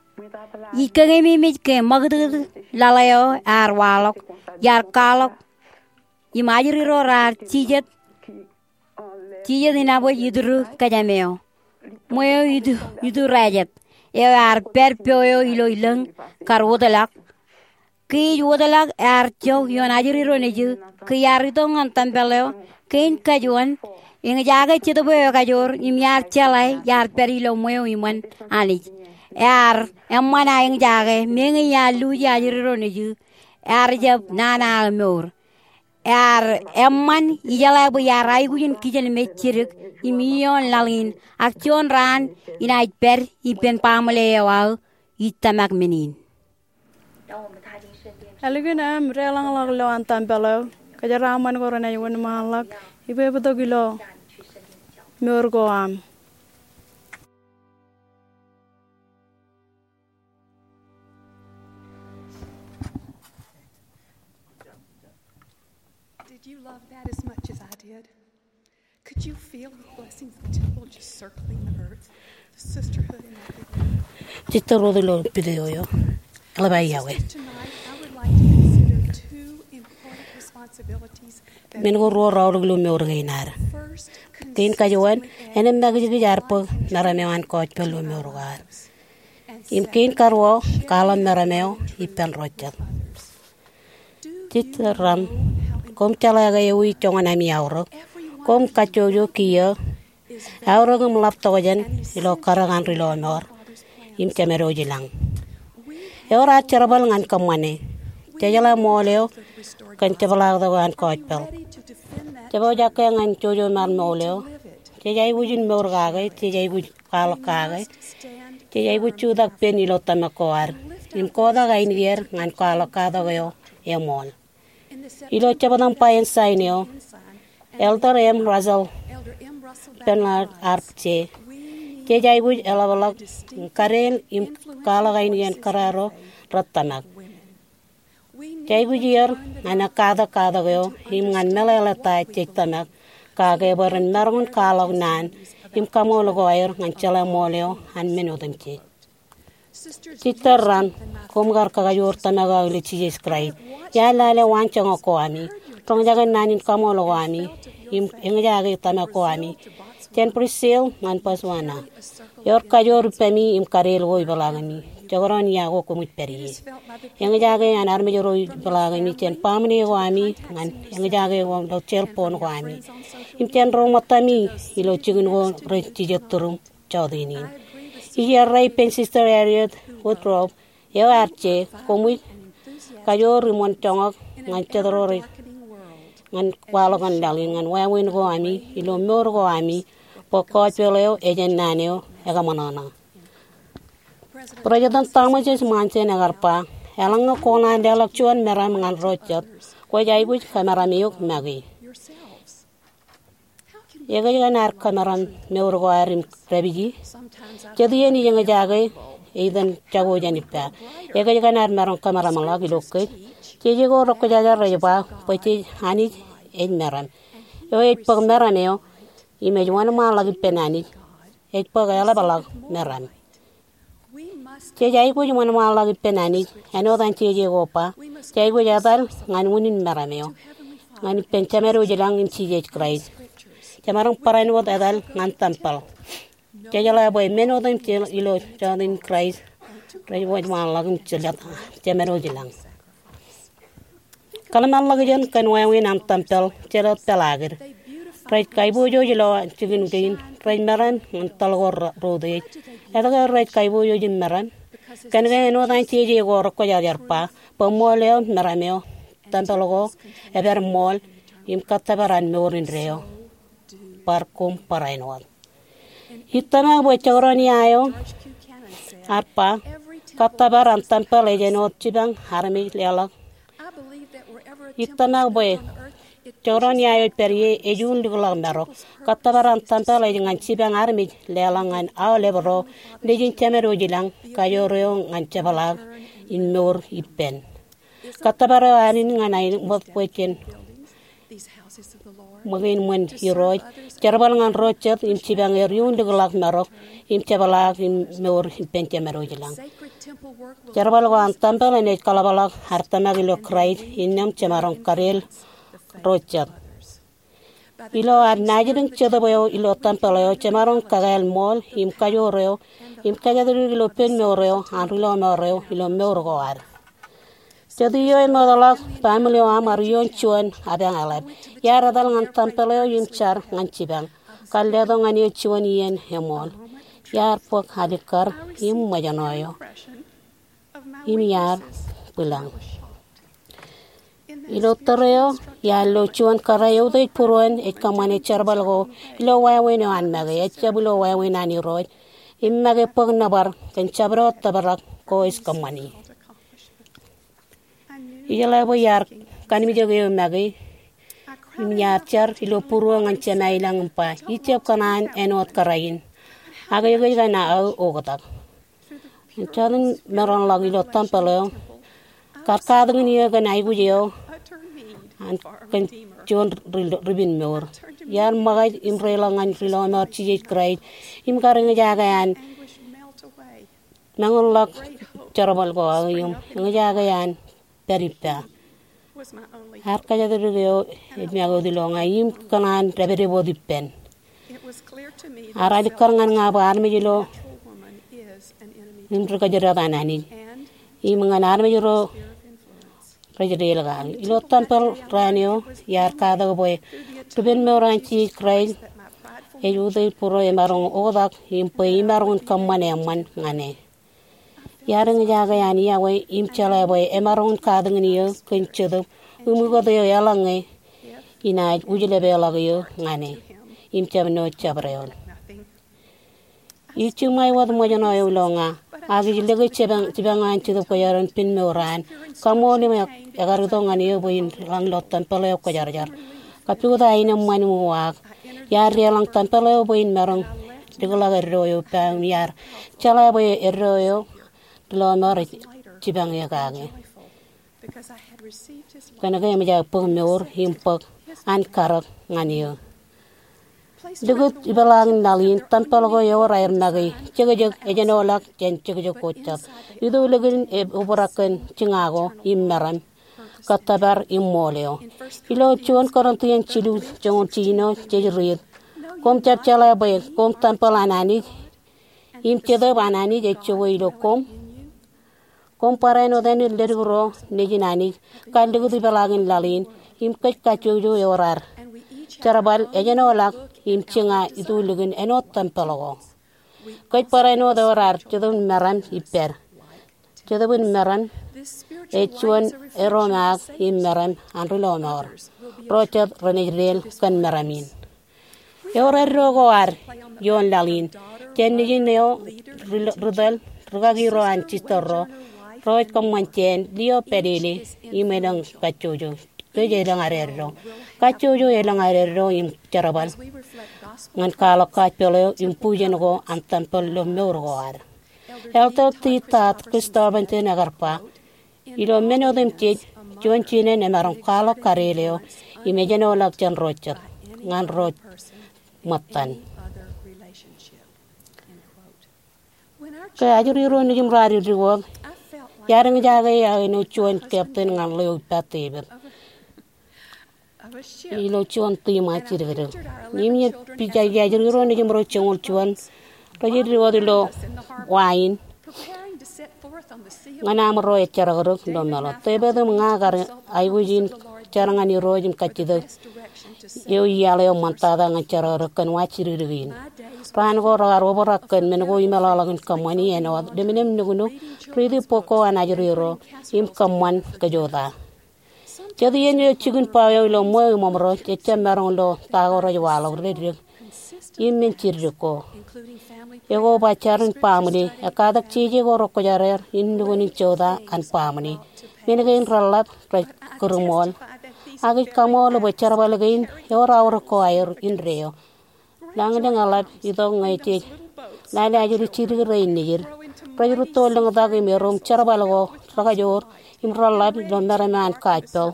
Ij kōkeememej ke ṃakūtkūt laḷ eo ear waḷọk, iar kwaḷọk, im ajri ro raar jijet, jijet inabōj itūru kōjām eo. Ṃweo itu, itu rājet. Eo ear pād po eo ilo ilōñ kar wōtlọk. Ke ij wōtlọk ear jok ioon ajri ro nejū, ke iar itok ñan tempel eo, kein kajuon, eñjake jetōb eo ekajoor, im iar jeḷā, iar pād ilo ṃweo iṃōn Anij. Ear eṃṃan aō eñjake, meñe iar luuji ajri ro nejū, ear jab nana aō mour. Ear eṃṃan ijeḷā bwe iar aikuj in kijenmej jidik im ioon laḷ in, ak juon raan inaaj pād ippān baaṃle eo aō ij tōmak men in. Ālikin aṃ deḷọñḷọk ilowaan tempel eo, kōjeraaṃṃan ko renaaj wōnṃaanḷọk ippān bōktok ilo mour ko aṃ. Did you love that as much as I did? Could you feel the blessings of the temple just circling the earth? The sisterhood in that video. Jej tōl wōt ilo video eo. Eḷap aō iọkwe. Tonight, I would like to consider two important responsibilities that Men ko ruo reaorōk ilo mour kein ad. First, kein kajuon, āinwōt makijkij ear bōk meram eo an gospel ilo mour ko ad. Im kein karuo, kwaḷọk meram eo ippān ro jet. Jej tōl raṇ, koṃ jeḷā ke ewi joñan ami aorōk? Koṃ kajjojo kiiō, aorōk im ḷap tokjān ilo karōk an Ri Lọmọọr im Jemedwōj ilañ. Ewōr ad jerbal ñan kōṃṃane. Jejeḷā ṃool eo kōn jepḷaaktok eo an gospel. Jepojak ke ñan jojo ṃaan ṃool eo, jej aikuj in mour kake, jej aikuj kwaḷọk kake, jej aikuj jutak pen ilo tōmak ko ad im kotak ainikier ñan kwaḷọk katak eo eṃool. Ilo jebta im ba ensign eo, Elder M. Russell Ballard ear pād, jej aikuj eḷapḷọk im kadeen im kwaḷọk ainikien kōrā ro rej tōmak. Jej aikuj iiō ñan katak katak eo im ñan meḷeḷe ta jej tōmak kake bwe ren maroñ in kwaḷọk naan im kaṃool ko aer ñan jeḷā ṃool eo an men otemjej. Sister Rand, koṃ kar kakajoor tōmak eo ilo Jisōs Kraist. Iar lale waanjoñak ko ami, roñjake naan in kaṃool ko ami, im eñjake tōmak ko ami jān Brazil ñan Botswana. Ewōr kajoor ippemi im kadeel ko ipeḷaakimi. Jekdọọn ia ko koṃij pād ie. Eñjake an armej ro ipeḷaakimi jān baaṃle ko ami ñan eñjake ko ilo cell phone ko ami im jān ro ṃōttami ilo jikin ko rej jijet turuṃ jọteen in. Ij errā ippān Sister Elliott Woodruff eo ear je, koṃij kajoor im wōn joñak ñan jet ro rej ñan kwaḷọk an laḷ in ñan wāween ko ami ilo mour ko ami bwe gospel eo ejān naan eo ekaṃōṇōṇō. President Thomas S. Monson ekar ba, eḷaññe kwō kōṇaan leḷọk juon meram ñan ro jet, kwōj aikuj kamaram eok make. Ekōjkan ad kamaram mour ko ad im dāpiji? Jet iien ij eñjake, either jako jān ippa. Ekōjkan ad maroñ kamaramḷọk ilo kōj. Jeje ko rekwōjarjar rej ba bwe jej Anij ej meram. Eo ej bōk meram eo im ej wōnṃaanḷọk ippān Anij. Ej bōk eḷapḷọk meram. Jej aikuj wōnṃaanḷọk ippān Anij, āinwōt an jeje ko ba, jej aikuj etal ñan unin meram eo, ñan ippān Jemād wōj i lañ im Jisōs Kraist. Jemaroñ barāinwōt etal ñan tempel. Jejeḷā bwe men otemjej ilo jọteen Kraist rej wōnṃaanḷọk im jelōt Jemād wōj i lañ. Kōḷmānḷọkjeṇ kōn wāween an tempel, jelōt peḷaakid. Rej kaiboojoj ilowaan jikin kein, rej meram ñan toḷ ko ro-, routiej. Etke rej kaiboojoj im meram? Kōn ke āinwōt an jeje ko rekwōjarjar ba, bwe ṃool eo meram eo, tempel ko, epād ṃool, im kōttōpar an mour indeeo. Bar koṃ barāinwōt. Ij tōmak bwe jekdọọn ia eo ear ba, kōttōpar an tempel ej āinwōt jipañ armej leḷọk. Ij tōmak bwe jekdọọn ia eo ej pād ie ej un likḷọk marok. Kōttōpar an tempel ej ñan jipañ armej leḷọk ñan aolep ro nejin Jemād wōj i lañ, kajoor eo ñan jepḷaak in mour ippān. Kōttōpar eo an in ñan aenōṃṃan bwe jen ṃōkein ṃōn Irooj, jerbal ñan ro jet im jipañ er iuun likḷọk marok im jepḷaak in mour ippān Jemād wōj i lañ. Jerbal ko an tempel enaaj kaḷapḷọk ad tōmak ilo Kraist innām jemaroñ kadeel ro jet. Ilo ad naajdik Jetōb eo ilo tempel eo, jemaroñ kakāāl ṃool im kajoor eo im kōjatdikdik ilo pen mour eo an rilọmọọr eo ilo mour ko ad. Jet iiō emootḷọk baaṃle eo aṃ ear iioon juon apañ eḷap. Iar etal ñan tempel eo im jar ñan jipañ. Kar letok ñan eō juon iien eṃool. Iar bōk alikkar im ṃōjṇọ eo im iar bwilōñ. Ilo tōre eo, iar lo juon kōrā eutiej būruon ej kōṃṃane jerbal ko ilo wāween eo an make, ejjab ilo wāween an Irooj, im make bōk nōbar kōn jabdewōt tōprak ko ej kōṃṃani. Ijeḷā bwe iar kanmijak eō make im iar jar ilo būruō ñan Jemā i lañ im ba, ij jab kōṇaan āinwōt kōrā in. Ak ekōjkan aō oktak. Jọteen maroñḷọk ilo tempel eo kar katakin eō kōn aikuj eo an kōn juon ri-, ripinmour. Iar ṃōkaj im reiḷọk ñan rilọmọọr Jisōs Kraist im kar eñjake an mañūnḷọk jerbal ko aō im eñjake an pād ippa. Ear kōjatdikdik eo ej make wōt ilo ña im kōṇaan dāpdep wōt ippān. Ear alikkar ñan ña bwe armej ilo im ri kōjdat an Anij im ñan armej ro rej deḷọñ kaki. Ilo tempel raan eo iar katak bwe ripenmour an Jisōs Kraist ej utiej būruō emaroñ oktak im bwe imaroñ in kōṃṃan eṃṃan ñan e. Iar eñjake an iọkwe im jeḷā bwe emaroñ in katakin eō kōn Jetōb im ukōt eō eḷaññe inaaj wūjlepḷọk eō ñan e im jab ṇo jabdewōt. Ij jiṃwe wōt ṃōjṇọ eo ilo ña, ak ij lōke jipañ, jipañ an Jetōb Kwōjarjar in pen mour an. Kaṃṃoolol im e-, ekar itok ñan eō bwe in lañ ilo tempel eo kwōjarjar. Kappukot aenōṃṃan im uwaak, iar deḷọñ tempel eo bwe in maroñ likḷọk eddo eo ippa im iar jeḷā bwe eddo eo rilọmọọr ej jipañ eō kake. Kōnke eṃōj aō bōk mour im bōk an karōk ñan eō. Likūt ipeḷaakin laḷ in, tempel ko ewōr aer make, jekjek, ejenoḷọk jān jekjek ko jet. Itulikin e obrak kōn jiña ko im meram, kōttōpar im ṃool eo. Ilo juon Kōrintians jilu joñoul jiljino jej riit, koṃ jab jeḷā bwe koṃ tempel an Anij, im Jetōb an Anij ej jokwe ilo koṃ? Koṃ barāinwōt āne ledik ro nejin Anij kar likūt ipeḷaakin laḷ in, im kōj kajjojo ewōr ad jerbal, ejenoḷọk im jiña itulikin āinwōt tempel ko. Kōj barāinwōt ewōr ad Jetōb in meram ippād. Jetōb in meram ej juon eromaak im meram an ri lọmọọr. Ro jet renaaj deel kōn meram in. Ewōr eddo ko ad ioon laḷ in jān nejin eo, ri-, ritōl, rikaki ro an sister ro, ro ej kōṃṃan jān Leo Padele im elōñ kajjojo. Kōj elōñ ad eddo. Kajjojo elōñ ad eddo im jerbal ñan kwaḷọk gospel eo im bujen ko an tempel ilo mour ko ad. Elder T. Todd Christofferson ekar ba, ilo men otemjej, juon jinen emaroñ kwaḷọk kareel eo im ejenoḷọk jān ro jet ñan ro ṃōttan. Ke ajri ro nejūṃ raar dikdik wōt, iar eñjake aō āinwōt juon captain ñan ḷeo ippa David ilo juon tiṃa jidikdik. Im ej pija ajri ro nejūṃ ro joñoul juon rej dikdik wōt ilo wa in ñan aṃ ro ejjerakdōk ilo meḷeḷe. David im ña kar aikuj in jar ñan Irooj im kajjitōk eo iaḷ eo ṃōttata ñan jerakdōk kōn wa jidikdik in. Raan ko rekar obrak kōn men ko imeḷọkḷọk in kōṃṃani āinwōt lemnem nuknuk, riiti bok ko an ajri ro, im kōṃṃan kōjota. Jet iien eo jikin bao eo ilo ṃweo im oṃro, jejjab maroñ ilo ta ko rej waḷọk dedik im men jidikdik ko. Ekoba jar in baaṃle, ekkatak jeje ko rekwōjarjar in nukun in jota an baaṃle. Men kein reḷḷap rej kūrṃool. Ak ij kaṃool bwe jerbal kein ewōr aorōk ko aer indeeo. Lañlōñ eḷap itok ñe jej lale ajri jidik rein nejid. Rej rūtto lōñtak im erom jerbal ko rekajoor im reḷḷap ilo meram eo an gospel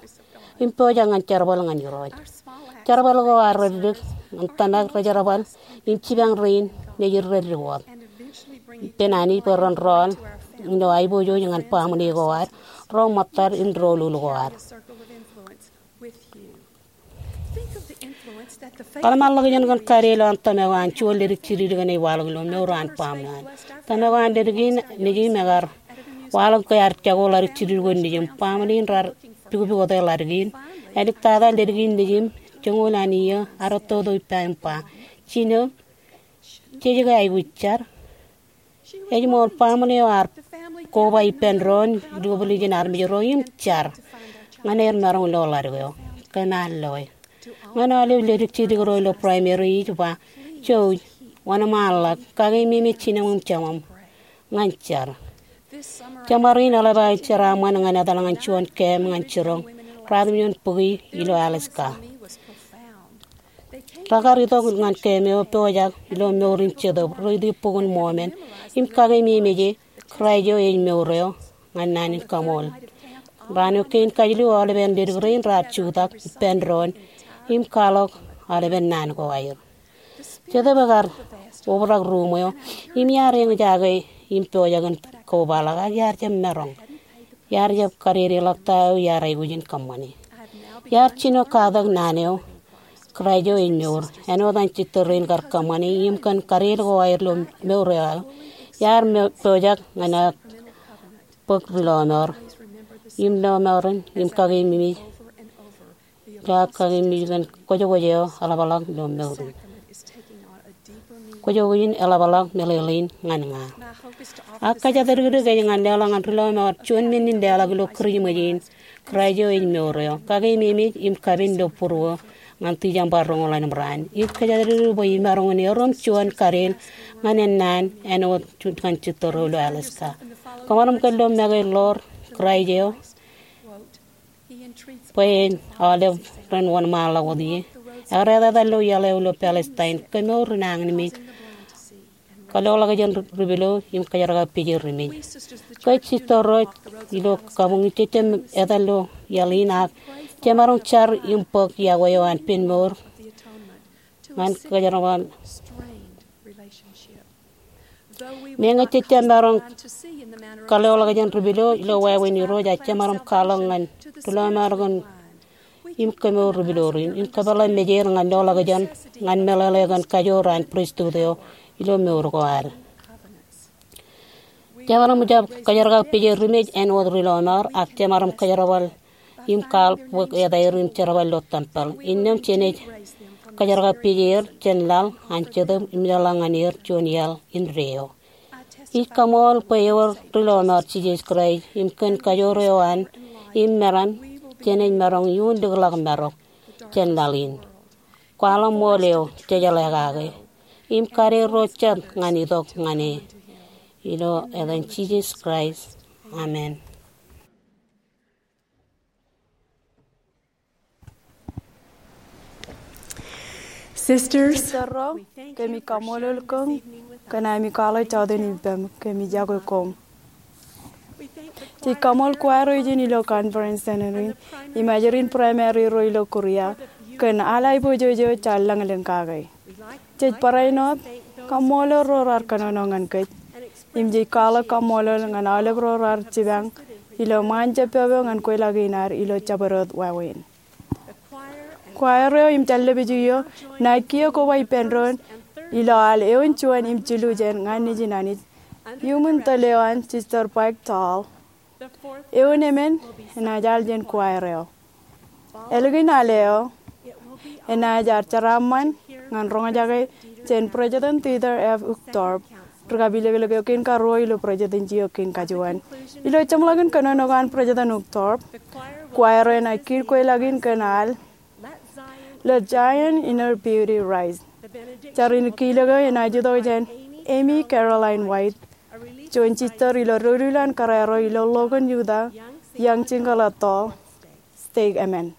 im pojak ñan jerbal ñan Irooj. Jerbal ko ad reddik ñan tōmak rejerbal im jipañ rein nejid reddik wōt ippān Anij bwe ren rọọl ilo aiboojoj ñan baaṃle ko ad, ro ṃōttad im doulul ko ad. Kōḷmānḷọkjeṇ kōn kareel eo an tōmak eo an juon ledik jidikdik eṇ ej waḷọk ilo mour eo an baaṃle in. Tōmak eo an ledik in nejūṃ ekar waḷọk ke ear jako ḷadik jidikdik ko nejūṃ. Baaṃle in raar pukpukot ḷadik in. Āliktata ledik in nejūṃ joñoul an iiō ear ettoto ippa im ba, Jino, jej ke aikuj jar? Ej ṃool baaṃle eo ear koba ippān doon, dikbōl ijin armej ro im jar ñan aer maroñ lo ḷadik eo. Kōm ar loe. Ñan aolep ledik jidikdik ro ilo primary ij ba, Jouj, wōnṃaanḷọk, kakeememej jinem im jemem ñan jar. Jemāriin eḷap aō jeraaṃṃan ñan etal ñan juon camp ñan jiroñ ratimjuon bukwi ilo Alaska. Rekar itok ñan camp eo pojak ilo mour in Jetōb, riiti Bok in Mormon, im kakeememej e, Kraist eo ej mour eo, ñan naan in kaṃool. Raan eo kein kajlu aolepen ledik rein raar jutak ippān doon im kwaḷọk aolepen naan ko aer. Jetōb ekar obrak ruuṃ eo im iar eñjake im pojak in kobaḷọk ak iar jab maroñ. Iar jab kadedeḷọk ta eo iar aikuj in kōṃṃane. Iar jino katak naan eo, Kraist eo ej mour, āinwōt an sister rein kar kōṃṃane im kōn kareel ko aer ilo mour eo aō. Iar mo-, pojak ñan aō bōk ri lọmọọr im lọmọọren im kakeememej ilo aō kakeememej kōn kwōjkwōj eo eḷapḷọk ilo mour in. Kwōjkwōj in eḷapḷọk meḷeḷein ñan ña. Ak kōjatdikdik ej ñan leḷọk ñan ri lọmọọr juon men in leḷọk ilo Kūrijṃōj in, Kraist eo ej mour eo, kakeememej im kapen ilo būruō ñan December roñoul ḷalem raan. Ij kōjatdikdik bwe imaroñ in erom juon kareel ñan ennaan āinwōt ñan sister ro ilo Alaska. Kōṃanṃan kōn ilo make ḷoor Kraist eo bwe en aolep ren wōnṃaanḷọk wōt ie. Ekar etetal ilo iaḷ eo ilo Palestine, kemour, nañinmej, kōlọkḷọk jān ri-, ripilo im kōjerkak pejel rimej. Kōj sister ro ilo kabuñ in jejjab etal ilo iaḷ in ak jemaroñ jar im bōk yokwe eo an pen mour ñan kōjerbal. Meñe jej jab maroñ kaḷoḷọkjeṇ ri pilo ilo wāween Irooj, ak jemaroñ kwaḷọk ñan ri lọmọọr kōn im kemour ri pilo rein im kōpeḷḷọk mejeir ñan loḷọkjeṇ ñan meḷeḷe kōn kajoor an pristut eo ilo mour ko ad. Jemaroñ jab kōjerkakpeje ri mej āinwōt ri lọmọọr, ak jemaroñ kōjerbal im kwaḷ bōk etaer im jerbal ilo tempeḷ. Innām jenaaj kōjerkakpeje er jān laḷ an Jetōb im jeḷā ñan er juon iaḷ indeeo. Ij kaṃool bwe ewōr ri lọmọọr Jisōs Kraist im kōn kajoor eo an im meram jenaaj maroñ iuun likḷọk marok jān laḷ in. Kwaḷọk ṃool eo jejeḷā kake im kade ro jet ñan itok ñan e. Ilo etan Jisōs Kraist, amen. Sisters, kōmij kaṃṃoolol kōm kōn ami kwaḷọk jọteen ippaṃ. Kōmij yokwe koṃ. Jej kaṃool choir eo ijin ilo conference center in im ajri in primary ro ilo Korea kōn al aiboojoj eo jaar lañlōñ kake. Jej barāinwōt kaṃṃoolol ro raar kōnono ñan kōj. Im jej kwaḷọk kaṃṃoolol ñan aolep ro raar jipañ ilo ṃaan jab pāpā ñan kweilọk in ad ilo jabdewōt wāween. Choir eo im jān lepiju eo enaaj kiiō koba ippān doon ilo al eoon juon im jilu jān ñan Nejin Anij iuṃwin tōl eo an Sister Pike Tall. Eoon emān enaaj al jān choir eo. Ālikin al eo enaaj ad jeraaṃṃan ñan roñjake jān President Dieter F. Uchtdorf, ri kapilōklōk eo kein karuo ilo presidency eo kein kajuon. Ilo jeṃḷọkin kōnono ko an President Uchtdorf, choir eo enaaj kiiō kweilọk in kōn al Let Zion in Her Beauty Rise. Jar in kilōk eo enaaj itok jān Amy Caroline White, juon sister ilo doulul an kōrā ro ilo Logan, Utah, Young Jingle Atoll Stake. Amen.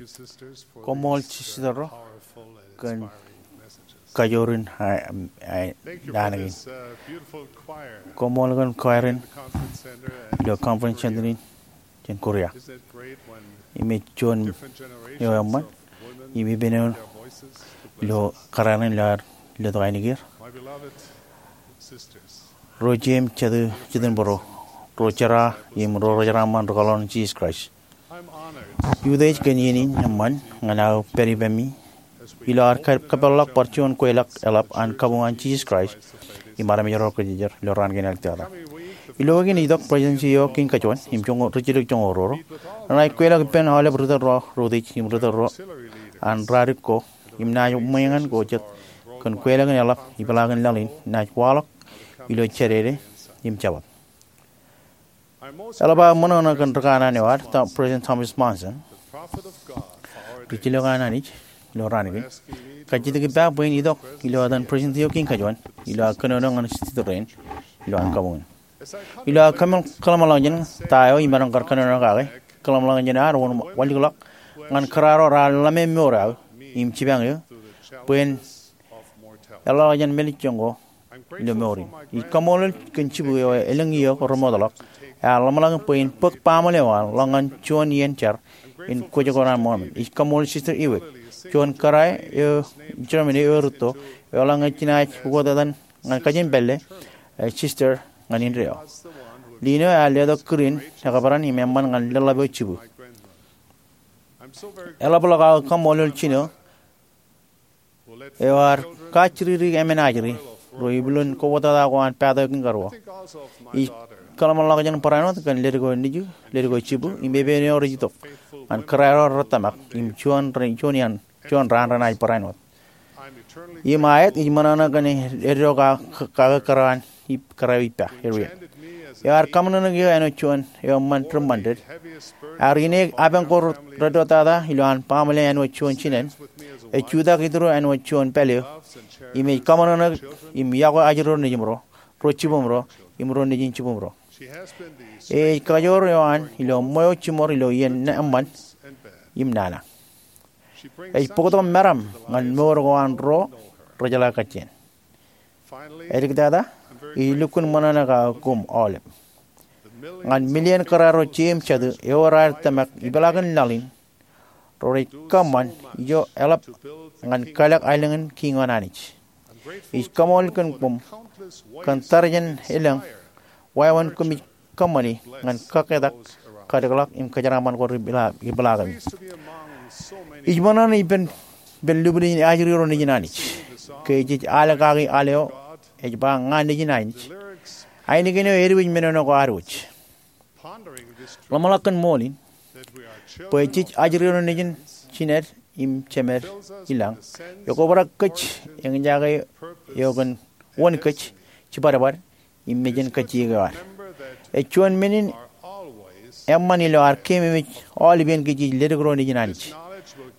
Koṃṃool, sister ro, kōn kajoor in, a, a, naan kein. Koṃṃool kōn choir in ilo Conference Center in jān Korea. Im ej juon eo eṃṃan im ippān eo ilo kōrā in ilo ad letok ainikieir. Ro jeiū im jatū, jitōnbōro, ro jera im ro rejeraaṃṃan rūkaḷoon Jisōs Kraist, utiej kōn iien in eṃṃan ñan aō pād ippemi ilo ad kab-, kōpeḷḷọk bar juon kweilọk eḷap an kabuñ an Jisōs Kraist im armej ro kōjejeer ilo raan kein āliktata. Ilo weekend itok, Presidency eo kein kajuon im joñoul, ri-jilōk joñoul ruo, renaaj kweilọk ippān aolep ri-tōl ro reutiej im ri-tōl ro an ralitōk ko im naaj ṃweeñan ko jet kōn kweilọk in eḷap ipeḷaakin laḷ in naaj waḷọk ilo Jādede im Jabōt. Eḷap aō ṃōṇōṇō kōn rikanaan eo ad, Tho-, President Thomas Monson, ri-jilōk an Anij ilo raan kein, kajjitōk ippa bwe in itok ilo etan Presidency eo kein kajuon ilo aō kōnono ñan state rein ilo an kabuñ in. Ilo aō kōmeḷ-, kōḷmānḷọkjeṇ ta eo imaroñ kar kōnono kake, kōḷmānḷọkjeṇ ad wōn walikḷọk ñan kōrā ro raar ḷōmimour aō im jipañ eō bwe en eḷḷọk jān mālejjoñ ko ilo mour in. Ij kaṃṃoolol kōn jibū eo elōñ iiō ko remootḷọk ear ḷōmṇak bwe in bōk baaṃle eo an ḷọk ñan juon iien jar in Kwōjarjar an Mormon. Ij kaṃṃoolol Sister Ewig, juon kōrā eo Germany eo erūtto, eo ḷọk ñan jenaaj ukōt etan ñan kajin pālle, e, sister ñan indeeo. Liin eo ear letok kūr in ekabran im eṃṃan ñan leḷḷap eo jibū. Eḷapḷọk aō kaṃṃoolol jino eo ear kajjitōk emān ajri ro ipuḷōn kowōttata ko an pād eo kein karuo. Ij kōḷmānḷọkjeṇ barāinwōt kōn ledik eo nejū, ledik eo jibū, im epen eo rej itok ñan kōrā ro rej tōmak im juon rej, juon iaan, juon raan renaaj barāinwōt. Im aet, ij ṃōṇōṇō kōn eddo ka-, kake kōrā an ip-, kōrā eo ippa, Harriet. Ear kaṃōṇōṇōik eō āinwōt juon eo eṃṃan ri-ṃandet. Ear ineek apañ ko reddo tata ilo an baaṃle āinwōt juon jinen. Ej jutak ituro āinwōt juon pālle eo. Im ej kaṃōṇōṇōik im yokwe ajri ro nejimro, ro jibūmro, im ro nejin jibūmro. Ej kajoor eo an ilo ṃweo jiṃor ilo iien eṃṃan im nana. Ej bōktok meram ñan mour ko an ro rejeḷā kajjien. Āliktata, ij lukkuun ṃōṇōṇō kake koṃ aolep ñan milion kōrā ro jeiū im jatū eo raar tōmak ipeḷaakin laḷ in, ro rej kōṃṃan ijo eḷap ñan kalōk aelōñ in kiiñ eo an Anij. Ij kaṃṃoolol kōn koṃ kōn tarijen elōñ wāween koṃij kōṃṃani ñan kakketak, kadikḷọk im kōjeraaṃṃan ko rej ipeḷa-, ipeḷaakemi. Ij ṃōṇōṇō ippān, ippān lubin eo ajri ro nejin Anij. Ke jej al kaki al eo ej ba Ña Nejin Anij, ainikien eo ediwōj men eo ko ad wōj. Ḷōmṇak kōn ṃool in bwe jej ajri ro nejin jined im jemed i lañ, ekobrak kōj eñjake eo kōn wōn kōj jibadbad im mejān kajjiek eo ad. Ej juon men in eṃṃan ilo ad keememej aolepān ke jej ledik ro nejin Anij.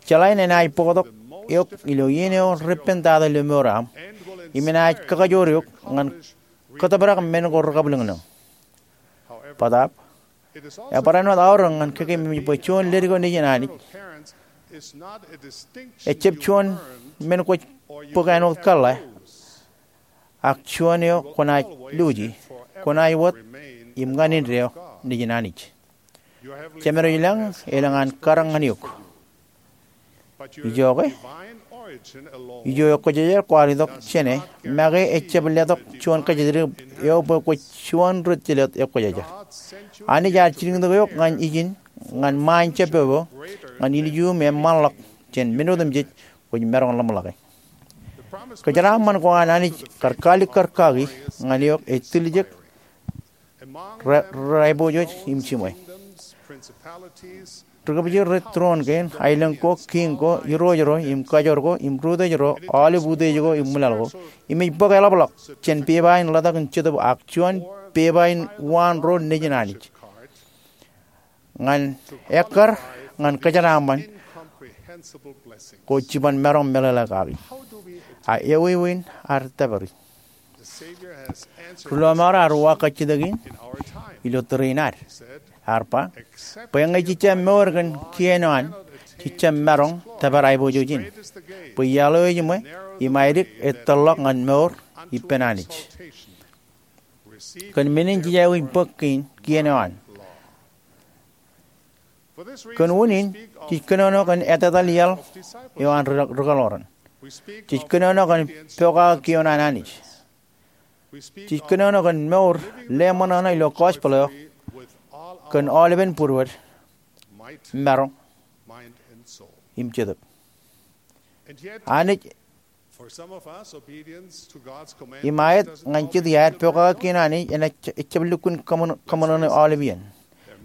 Jeḷā in enaaj bōktok eok ilo iien eo reppān tata ilo mour eo aṃ, im enaaj kakajoor eok ñan kōtōprak men ko rekabwilōñlōñ. Bōtaab, ebarāinwōt aorōk ñan keememej bwe juon ledik ro nejin Anij ejjab juon men kwōj bōk āinwōt kōḷḷā, ak juon eo kwōnaaj luuji, kwōnaaj wōt im ñan indeeo nejin Anij. Jemedwōj i lañ elōñ an karōk ñan eok. Ijoke, ijo ekwōjarjar kwaar itok jāne make ejjab letok juon kōjatdikdik eo bwe kwōj juon ri-tilot ekwōjarjar. Anij ear jilkintok eok ñan ijin, ñan ṃaan jab popo, ñan ilju im eṃṃanḷọk jān men otemjej kwōj maroñ ḷōmṇake. Kōjeraaṃṃan ko an Anij kar kalikkar kaki ñan eok ej tiljek ri-, ri-, raiboojoj im jiṃwe. Ri-kōbjej rej tūroon kein, aelōñ ko, kiiñ ko, irooj ro, im kajoor ko, im rūtōj ro, aolep utiej ko, im ṃwilaḷ ko, im ej bōk eḷapḷọk jān pepa in ḷotak in jetōb ak juon pepa in uwaan ro nejin Anij ñan ekkar ñan kōjeraaṃṃan ko jiban maroñ meḷeḷe kaki. A ewi ewi in ad tōpari? Ri-lọmọọr ear uwaak kajjitōk in ilo tōre in ad. Ear ba, bwe ñe jej jab mour kōn kien eo an, Jej jab maroñ tōpar aiboojoj in, bwe iaḷ eo ejiṃwe im aidik ej tōrḷọk ñan mour ippān Anij. Kōn men in jej aikuj bōk kien eo an. Kōn unin, jej kōnono kōn etetal iaḷ eo an ri-, rikōḷoran. Jej kōnono kōn pokake kioon an Anij. Jej kōnono kōn mour leṃōṇōṇō ilo gospel eo kōn aolepen būruod, maroñ, im jetōb. Anij, im aet ñan jet iaer, pokake kien an Anij enaaj, ejjab lukkuun kōṃōṇōṇō aolep iien.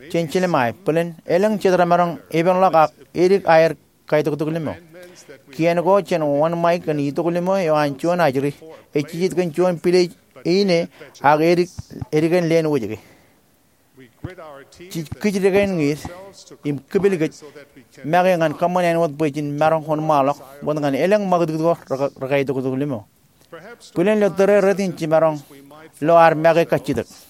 Jen jiljilimjuonñoul bōlen elōñ jet remaroñ epenḷọk ak edik aer kaitoktok limo. Kien ko jān wōnṃae kōn itok limo eo an juon ajri ej jijet kōn juon pilej eo ine ak edik, edikān leen wōjke. Jej kij dekān ñiid im kipil kōj make ñan kōṃṃan āinwōt bwe jen maroñ wōnṃaanḷọk wōt ñan elōñ ṃakūtkūt ko re, rekaitoktok limo. Bōlen ilo tōre retin jiṃaroñ lo ad make kajjitōk.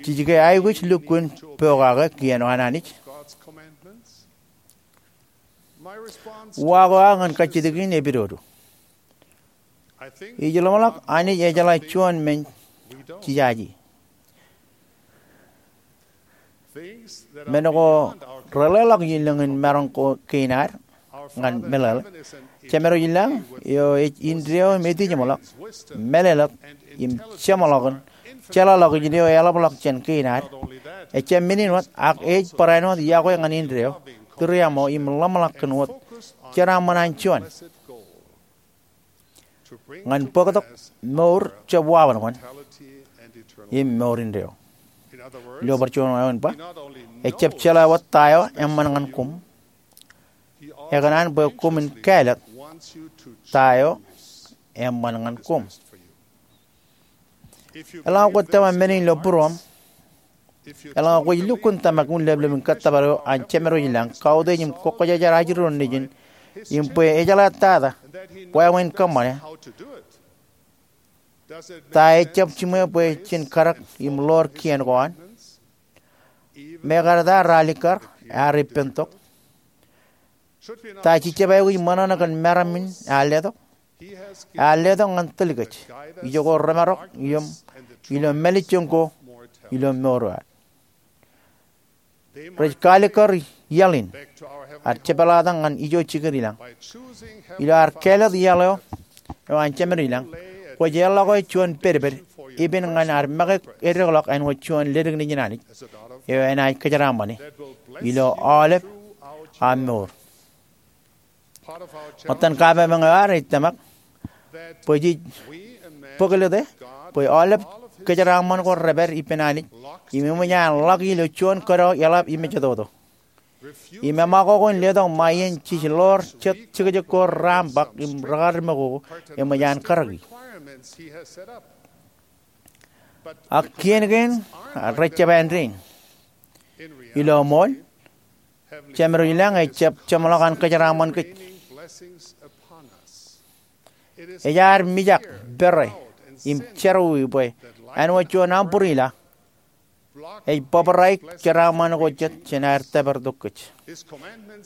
Jej ke aikuj lukkuun pokake kien eo an Anij? Uwaak eo aō ñan kajjitōk in epidodo. Ij ḷōmṇak Anij ejeḷā juon men jejaje. Men ko reḷeḷọk ilōñ in maroñ ko kein ad ñan meḷeḷe. Jemedwōj ilañ eo ej indeeo im etijeṃḷọk, mālōtlōt im jeṃḷọkin jeḷāḷọkjeṇ eo eḷapḷọk jān kein ad. Ejjab men in wōt, ak ej barāinwōt yokwe ñan indeeo, tūriaṃo im ḷōmṇak kōn wōt jeraaṃṃan an juon ñan bōktok mour jab waḷọkjeṇ im mour indeeo. Ilo bar juon wāween ba, ejjab jeḷā wōt ta eo eṃṃan ñan koṃ, ekōṇaan bwe koṃwin kāālōt ta eo eṃṃan ñan koṃ. Eḷaññe kwōj tōmak men in ilo būruōṃ, eḷaññe kwōj lukkuun tōmak unin leplepin kōttōpar eo an Jemedwōj ilañ, kautiej im kwō kwōjarjar ajri ro nejin im bwe ejeḷā tata wāween kōṃṃane, ta ejjab jiṃwe bwe jen kadek im ḷoor kien ko an? Mekarta ralitōk ear ippān tok. Ta jejjab aikuj ṃōṇōṇō kōn meram in ear letok? Ear letok ñan tōl kōj, ijoko remarok im ilo mālejjoñ ko ilo mour eo ad. Rej kalikkar iaḷ in ad jepḷaaktok ñan ijo jikier ilañ. Ilo ad kāālōt iaḷ eo, eo an Jemedwōj ilañ, kwōj eḷọk juon pedped epen ñan ad make edekḷọk āinwōt juon ledik nejin Anij eo enaaj kōjeraaṃṃane ilo aolep aṃ mour. Ṃōttan kapemeañ eo ad ej tōmak bwe jej bōklōte bwe aolep kōjeraaṃṃan ko repād ippān Anij im eṃōj an ḷak ilo juon kōdọ eḷap im ejetoto. Im eṃakoko in letok ṃae iien jej ḷoor jet jekjek ko raṃ bōk im rekar mokoko eṃōj an karōki. Ak kien kein rejjab āindein. Ilo ṃool, Jemedwōj ilañ ejjab jeṃḷọk an kōjeraaṃṃan kōj. Ej ad mijak, pere, im jerọwiwi bwe āinwōt juon umbrella ej bōbraik jeraaṃṃan ko jet jān aer tōpartok kōj.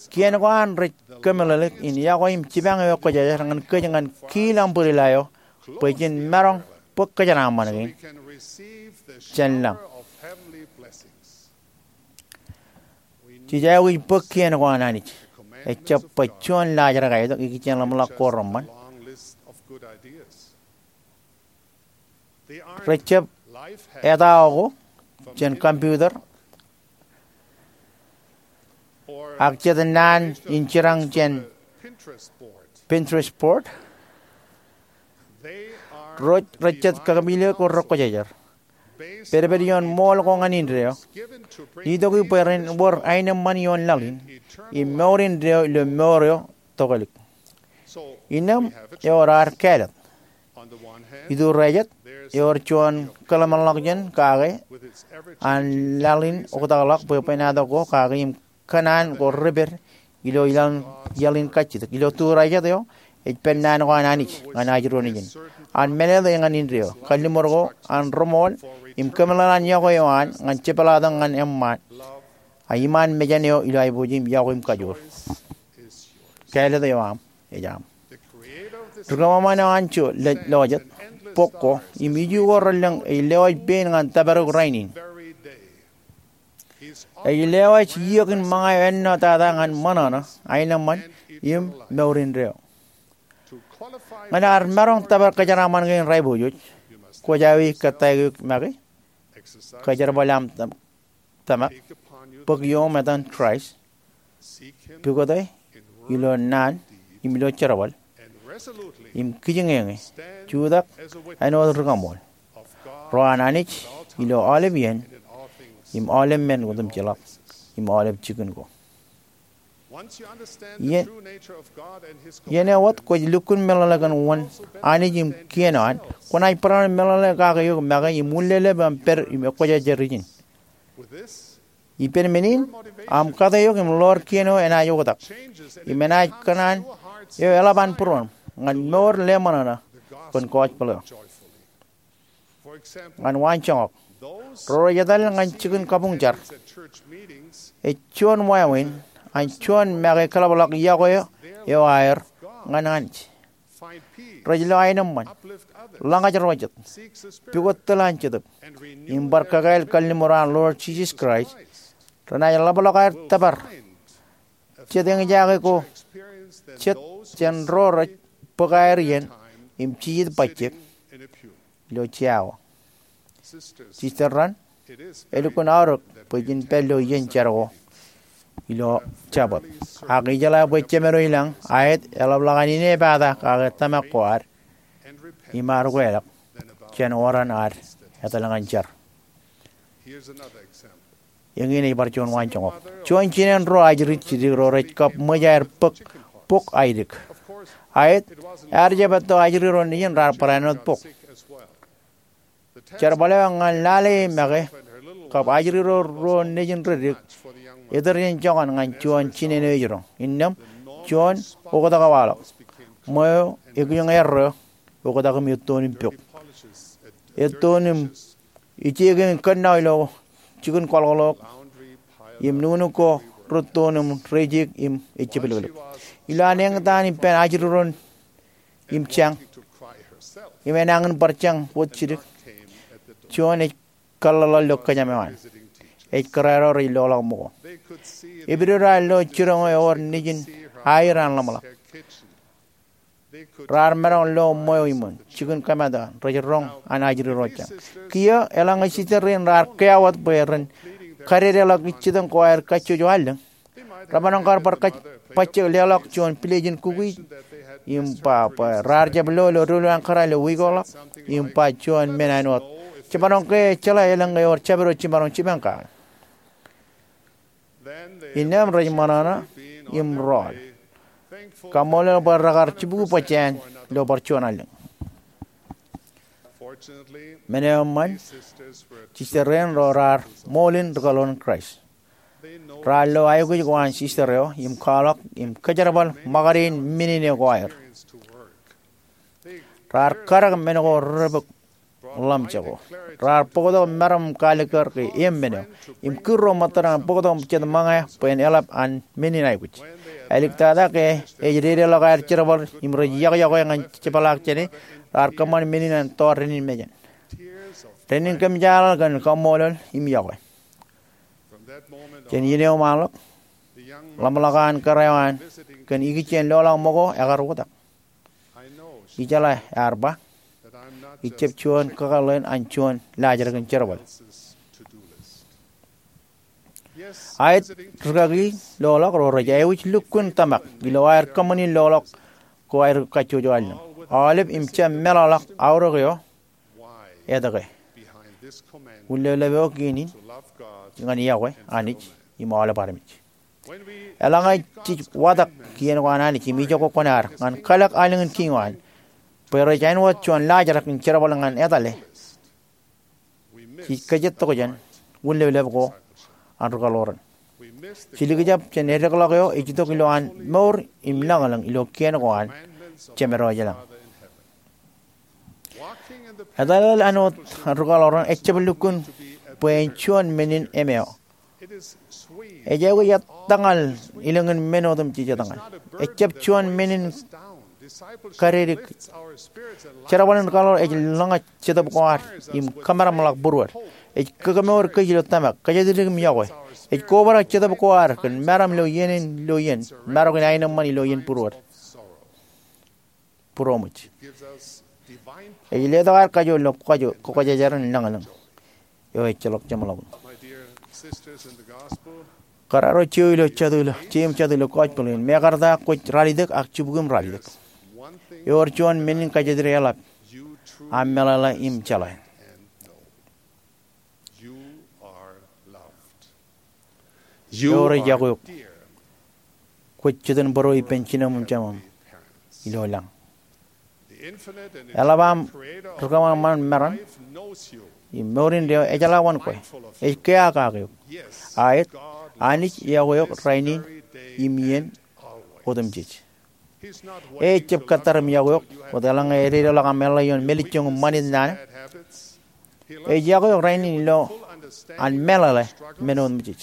Kien ko an rej kōmeḷeḷeik in yokwe im jipañ ewi kwōjarjar ñan kōj ñan kiil umbrella eo bwe jen maroñ bōk kōjeraaṃṃan kein jān lañ. Jej aikuj bōk kien ko an Anij. Ejjab bwe juon laajrak aetok ikijjien ḷōmṇak ko reṃṃan. Rejjab etao ko jān computer ak jet naan in jerañ jān Pinterest board. Ro rej jet kakememej ko rekwōjarjar. Pedped ioon ṃool ko ñan indeeo, itok bwe ren wōr aenōṃṃan ioon laḷ in im mour indeeo ilo mour eo tokālik. Innām ewōr ad kāālōt. Iturejet, ewōr juon kōḷmānḷọkjeṇ kake an laḷ in oktakḷọk bwebwenato ko kake im kōṇaan ko repād ilo iaḷ in kajjitōk. Ilo turejet eo, ej pād naan ko an Anij ñan ajri ro nejin. An mālōtlōt ñan indeeo, kalliṃur ko an reṃool, im kōmeḷeḷe an yokwe eo an ñan jepḷaaktok ñan eṃṃaan a iṃaan mejān eo ilo aiboojoj im yokwe im kajoor. Kāālōt eo aṃ ej aṃ. Ri-kōṃanṃan eo an jọọl lọjet, bok ko, im iju ko relōñ ej lewōj pein ñan tōpar eok rainin. Ej lewōj iiō in ṃōñā eo ennọ tata ñan ṃōṇōṇō, aenōṃṃan, im mour indeeo. Ñan ad maroñ tōpar kōjeraaṃṃan kein ri-aiboojoj, kwōj aō kōttāik eok make, kōjerbal aṃ tōm- tōmak, bōk ioṃ etan Kraist, pukot e ilo naan im ilo jerbal, im kijiñeñe, jutak āinwōt rikaṃool ro an Anij ilo aolep iien im aolep men otemjeḷọk im aolep jikin ko. Iien, iien eo wōt kwōj lukkuun meḷeḷe kōn wōn Anij im kien eo an, kwōnaaj barāinwōt meḷeḷe kake eok make im wūnlelep aṃ pād im ekwōjarjar ijin. Ippān men in, aṃ kate eok im ḷoor kien eo enaaj oktak im enaaj kōṇaan eo eḷap an būruon ñan mour leṃōṇōṇō kōn gospel eo. Ñan waanjoñak, ro rej etal ñan jikin kabuñ jar, ej juon wāween an juon make kōḷapḷọk yokwe eo aer ñan Anij. Rej lo aenōṃṃan, ḷōñaj ro jet, pukot tōl an Jetōb, im bar kakāāl kalliṃur an Lord Jesus Christ. Renaaj ḷapḷọk aer tōpar jet eñjake ko jet jān ro rej bōk aer iien im jijet bajjek ilo jea ko. Sister Rand, elukkuun aorōk bwe jen pād ilo iien jar ko ilo Jabōt. Ak ijeḷā bwe Jemedwōj lañ, aet, eḷapḷọk an inepata kake tōmak ko ad im ad ukeḷọk jān oran ad etal ñan jar. Eñin ej bar juon waanjoñak. Juon jinen ruo ajri jidik ro rej kab ṃōj aer bōk bok aidik. Aet, ear jab etto ajri ro nejin raar barāinwōt bok. Jerbal eo ñan lale e make kab ajri ro ruo nejin rej dik etōr jān joñan ñan juon jinen eo ej roñ. Innām juon oktak eo waḷọk. Ṃweo ekijoñ erreo oktak im ettoon im pok. Ettoon im ijeke in kōnnaw ilo jikin kwaḷọkḷọk im nuknuk ko rettoon im reijek im ejjepelpelep. Ilo an eñtaan ippān ajri ro im jañ im enañin bar jañ wōt jidik, juon ej kōḷḷaḷḷaḷ ilo kōjām eo an. Ej kōrā ro rej loḷọk ṃōko. Epidodo an lo jiroñ eo ewōr nejin aer an ḷōmṇak. Raar maroñ lo ṃweo iṃōn jikin kōmat eo an rej roñ an ajri ro jañ. Kiiō eḷaññe sister rein raar kea wōt bwe ren kadedeḷọk ijjitōñ ko aer kajjojo allōñ, remaroñ kar bar kōj bajjek leḷọk juon pilejin kukij im ba bwe raar jab lo ilo doulul an kōrā ilo wiik eo ḷọk im ba juon men āinwōt, jemaroñ ke ejeḷā elōñ ewōr jabdewōt jiṃaroñ jipañ kake. Innām rej ṃōṇōṇō im rọọl, kaṃṃoolol bwe rekar jibukwi bajjāān ilo bar juon allōñ. Men eo eṃṃan, sister rein ro raar ṃool in ri-kaḷoran Kraist. Raar lo aikuj ko an sister eo im kwaḷọk im kōjerbal ṃōkade in men in eo ko aer. Raar kadek men ko redepok ḷōmjeko. Raar bōktok meram im kaalikkar ke eṃ men eo im kūr ro ṃōttad ñan bōktok jet ṃōñā bwe en eḷap an men in aikuj. Āliktata ke ej dedeḷọk aer jerbal im rej yokwe ñan jepḷaak jāne, raar kōṃṃan men in an tọọr dān in mejān. Dān in kōmjaaḷ kōn kaṃṃoolol im yokwe. Jān iien eo ṃaanḷọk, ḷōmṇak an kōrā eo an kōn ikijjien loḷọk ṃōko ekar oktak. Ijeḷā ear ba, ij jab juon kakōḷḷe in an juon laajrak in jerbal. Aet, rūkaki loḷọk ro rej aikuj lukkuun tōmak ilo aer kōṃṃani loḷọk ko aer kajjojo allōñ. Aolep im jab meḷọkḷọk aorōk eo etke. Wūnleplep eo kein in ñan iọkwe Anij im aolep armej. Eḷaññe jej watōk kien ko an Anij im ijoko kuṇaad ñan kalōk aelōñ in kiiñ eo an bwe rej āinwōt juon laajrak in jerbal ñan etale, jej kōjatokjān wūnleplep ko an ri-kaḷoran. Jej likjab jān eddekḷọk eo ej itok ilowaan mour im lañlōñ ilo kien ko an Jemedwōj lañ. Etal āinwōt an ri-kaḷoran ejjab lukkuun bwe en juon men in emeo. Ej aikuj ettañal ilōñin men otemjej ettañal. Ejjab juon men in kadedik. Jerbal in kaḷoor ej lōñaj Jetōb ko ad im kōmeramḷọk būruod. Ej kōkōmour kōj ilo tōmak, kōjatdikdik im iọkwe. Ej kobrak Jetōb ko ad kōn meram ilo iien in ilo iien, marok in aenōṃṃan ilo iien būruod. Būroṃōj. Ej letok ad kajoor ilo kajoor, kwōkwōjajar in lañlōñ eo ejjeḷọk jeṃḷọkin. Kōrā ro jeiū ilo jatū ilo, jeiū im jatū ilo gospel in, mekarta kwōj ralitōk ak jibukūṃ ralitōk. Ewōr juon men in kōjatdikdik eḷap aṃ meḷeḷe im jeḷā. Ewōr iọkwe eok. Kwōj jitōnbōro ippān jinem im jeṃaṃ ilo lañ. Eḷap aṃ rikōṃanṃan meram im mour indeeo ejeḷā wōn kwe. Ej kea kake eok. Aet, Anij iọkwe eok rainin im iien otemjej. E ejjab kōttar im iọkwe eok wōt eḷaññe ededeḷọk aṃ eḷḷā ioon mālejjoñ im ṃanit naan. Ej iọkwe eok rainin ilo an meḷeḷe men otemjej.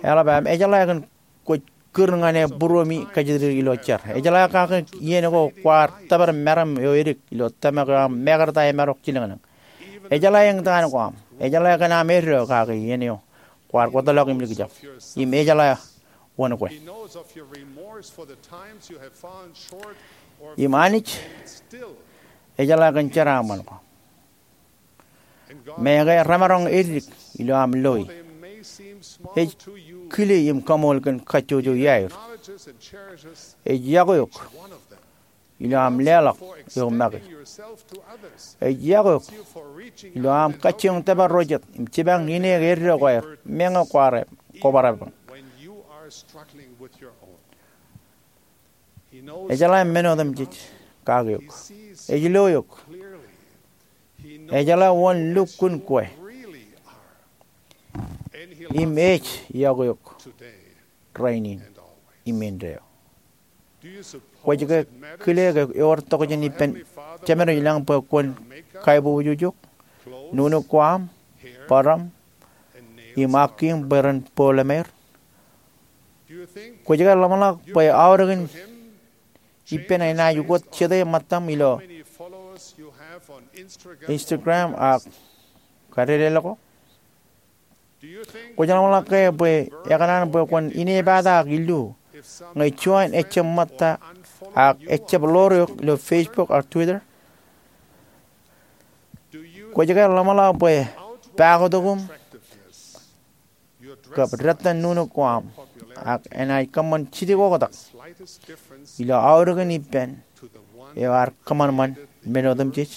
Eḷap am ejeḷā kōn kwōj kūr ñan e būruemi kōjatdikdik ilo jar. Ejeḷā kake iien ko kwaar tōpar meram eo edik ilo tōmak eo aṃ mekarta emarok jilōñlōñ. Ejeḷā eñtaan ko aṃ. Ejeḷā kōn aṃ eddo kake iien eo kwaar kōtḷọk im likjab. Im ejeḷā wōn kwe. Im Anij ejeḷā kōn jeraaṃṃan ko. Meñe ke remaroñ edik ilo aṃ loi, ej kile im kaṃool kōn kajjojo iaer. Ej iọkwe eok ilo aṃ leḷọk eok make. Ej iọkwe eok ilo aṃ kajjioñ tōpar ro jet im jipañ ineek eddo ko aer meñe kwaar kobarebañ. Ejeḷā men otemjej kake eok. Ej lo eok. Ejeḷā wōn lukkuun kwe. Im ej iọkwe eok rainin im indeeo. Kwōj ke kile ke ewōr tokjān ippān Jemedwōj lañ bwe kwōn kaiboojoj eok, nuknuk ko aṃ, bōraṃ, im akkiiñ bwe ren bōk lemāer? Kwōj ke ḷōmṇak bwe aorōkin ippān enaaj ukōt jete ṃōttaṃ ilo Instagram ak kadedeḷọk ko? Kwōj ḷōmṇak ke bwe ekōṇaan bwe kwōn inepata ak illu ñe juon ejjab ṃōtta ak ejjab ḷoor eok ilo Facebook ak Twitter? Kwōj ke ḷōmṇak bwe pakotok iṃ kab dettan nuknuk ko aṃ ak enaaj kōṃṃan jidik oktak ilo aorōkin ippān eo ear kōṃanṃan men otemjej?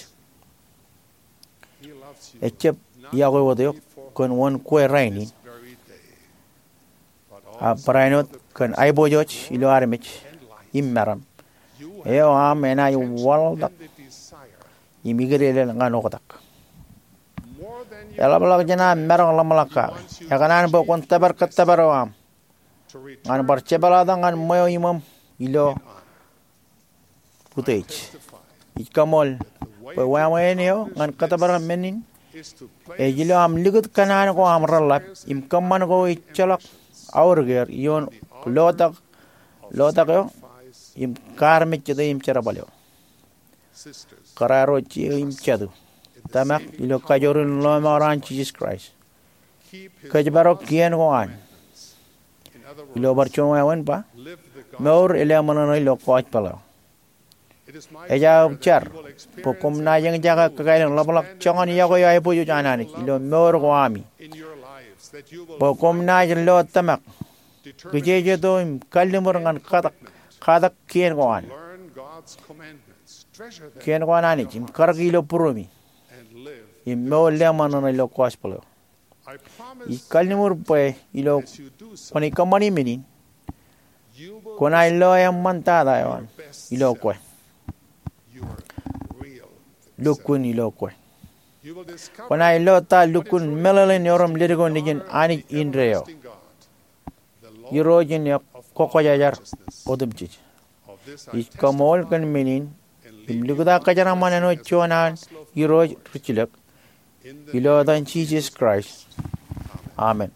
Ejjab iọkwe wōt eok kōn wōn kwe rainin, ak barāinwōt kōn aiboojoj ilo armej im meram eo aṃ enaaj waḷtak im ikideeded ñan oktak. Eḷapḷọk jān aṃ maroñ ḷōmṇak kake, ekōṇaan bwe kwōn tōpar kōttōpar eo aṃ ñan bar jepḷaaktok ñan ṃweo iṃōṃ ilo utiej. Ij kaṃool bwe wāween eo ñan kōttōpar men in ej ilo aṃ likūt kōṇaan ko aṃ reḷḷap im kōṃṃan ko ejjeḷọk aorōk er ioon lotak, lotak eo im kaarmejjete im jerbal eo. Kōrā ro jeiū im jatū, tōmak ilo kajoor in lọmọọr an Jisōs Kraist, kōjparok kien ko an. Ilo bar juon wāween ba, mour elōṃōṇōṇō ilo gospel eo. Ej aō jar bwe koṃ naaj eñjake kakāāl in ḷapḷọk joñan iọkwe eo aiboojoj an Anij ilo mour ko ami, bwe koṃ naaj lo tōmak, kijejeto im kalliṃur ñan katak, katak kien ko an, kien ko an Anij im karōki ilo būruemi im mour lōṃōṇōṇō ilo gospel eo. Ij kalliṃur bwe ilo kwōnaaj kōṃṃani men in, kwōnaaj lo eṃṃantata eo aṃ ilo kwe, lukkuun ilo kwe. Kwōnaaj lo ta lukkuun meḷeḷein erom ledik eo nejin Anij indeeo, Irooj in eok kwōkwōjajar otemjej. Ij kaṃool kōn men in im likūt aō kōjeraaṃṃan āinwōt juon an Irooj ri jilōk Ilo etan Jisōs Kraist, amen.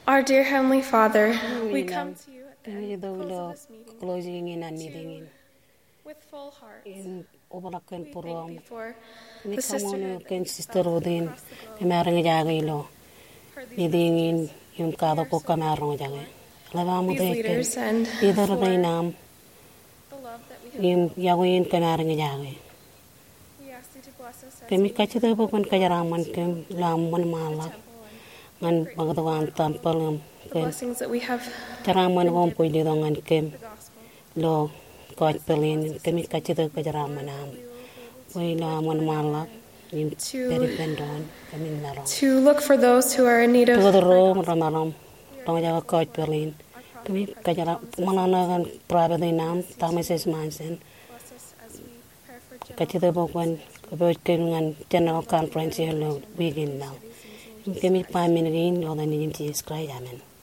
Our dear Heavenly Father, we come to you at the end, close of this meeting, with full hearts. Im obrak kōn būruōṃ. Kōmij kaṃṃoolol eok kōn sister Ruth in kōm ar eñjake ilo meeting in im katak ko kōm ar roñjake. Eḷap aṃ utiej kōn leader rein aṃ im iọkwe in kōm ar eñjake. Kōmij kajjitōk bwe kwōn kōjeraaṃṃan kōm ilo aṃ wōnṃaanḷọk ñan ṃakūtkūt an tempeḷ im kōn jeraaṃṃan ko kwōj letok ñan kōm ilo gospel in. Kōmij kajjitōk kōjeraaṃṃan aṃ bwe ilo aṃ wōnṃaanḷọk im pād ippān doon kōmin maroñ to look for those who are in need of pukot ro remaroñ roñjake gospel in. Kōmij kōjeraaṃṃan ṃōṇōṇō kōn prophet in aṃ Thomas S. Monson. Kajjitōk bwe kwōn kōpooj kōm ñan general conference eo ilo wiik in ṇa. Im kōmij ba men kein ilo etan Nejūṃ Jisōs Kraist, amen.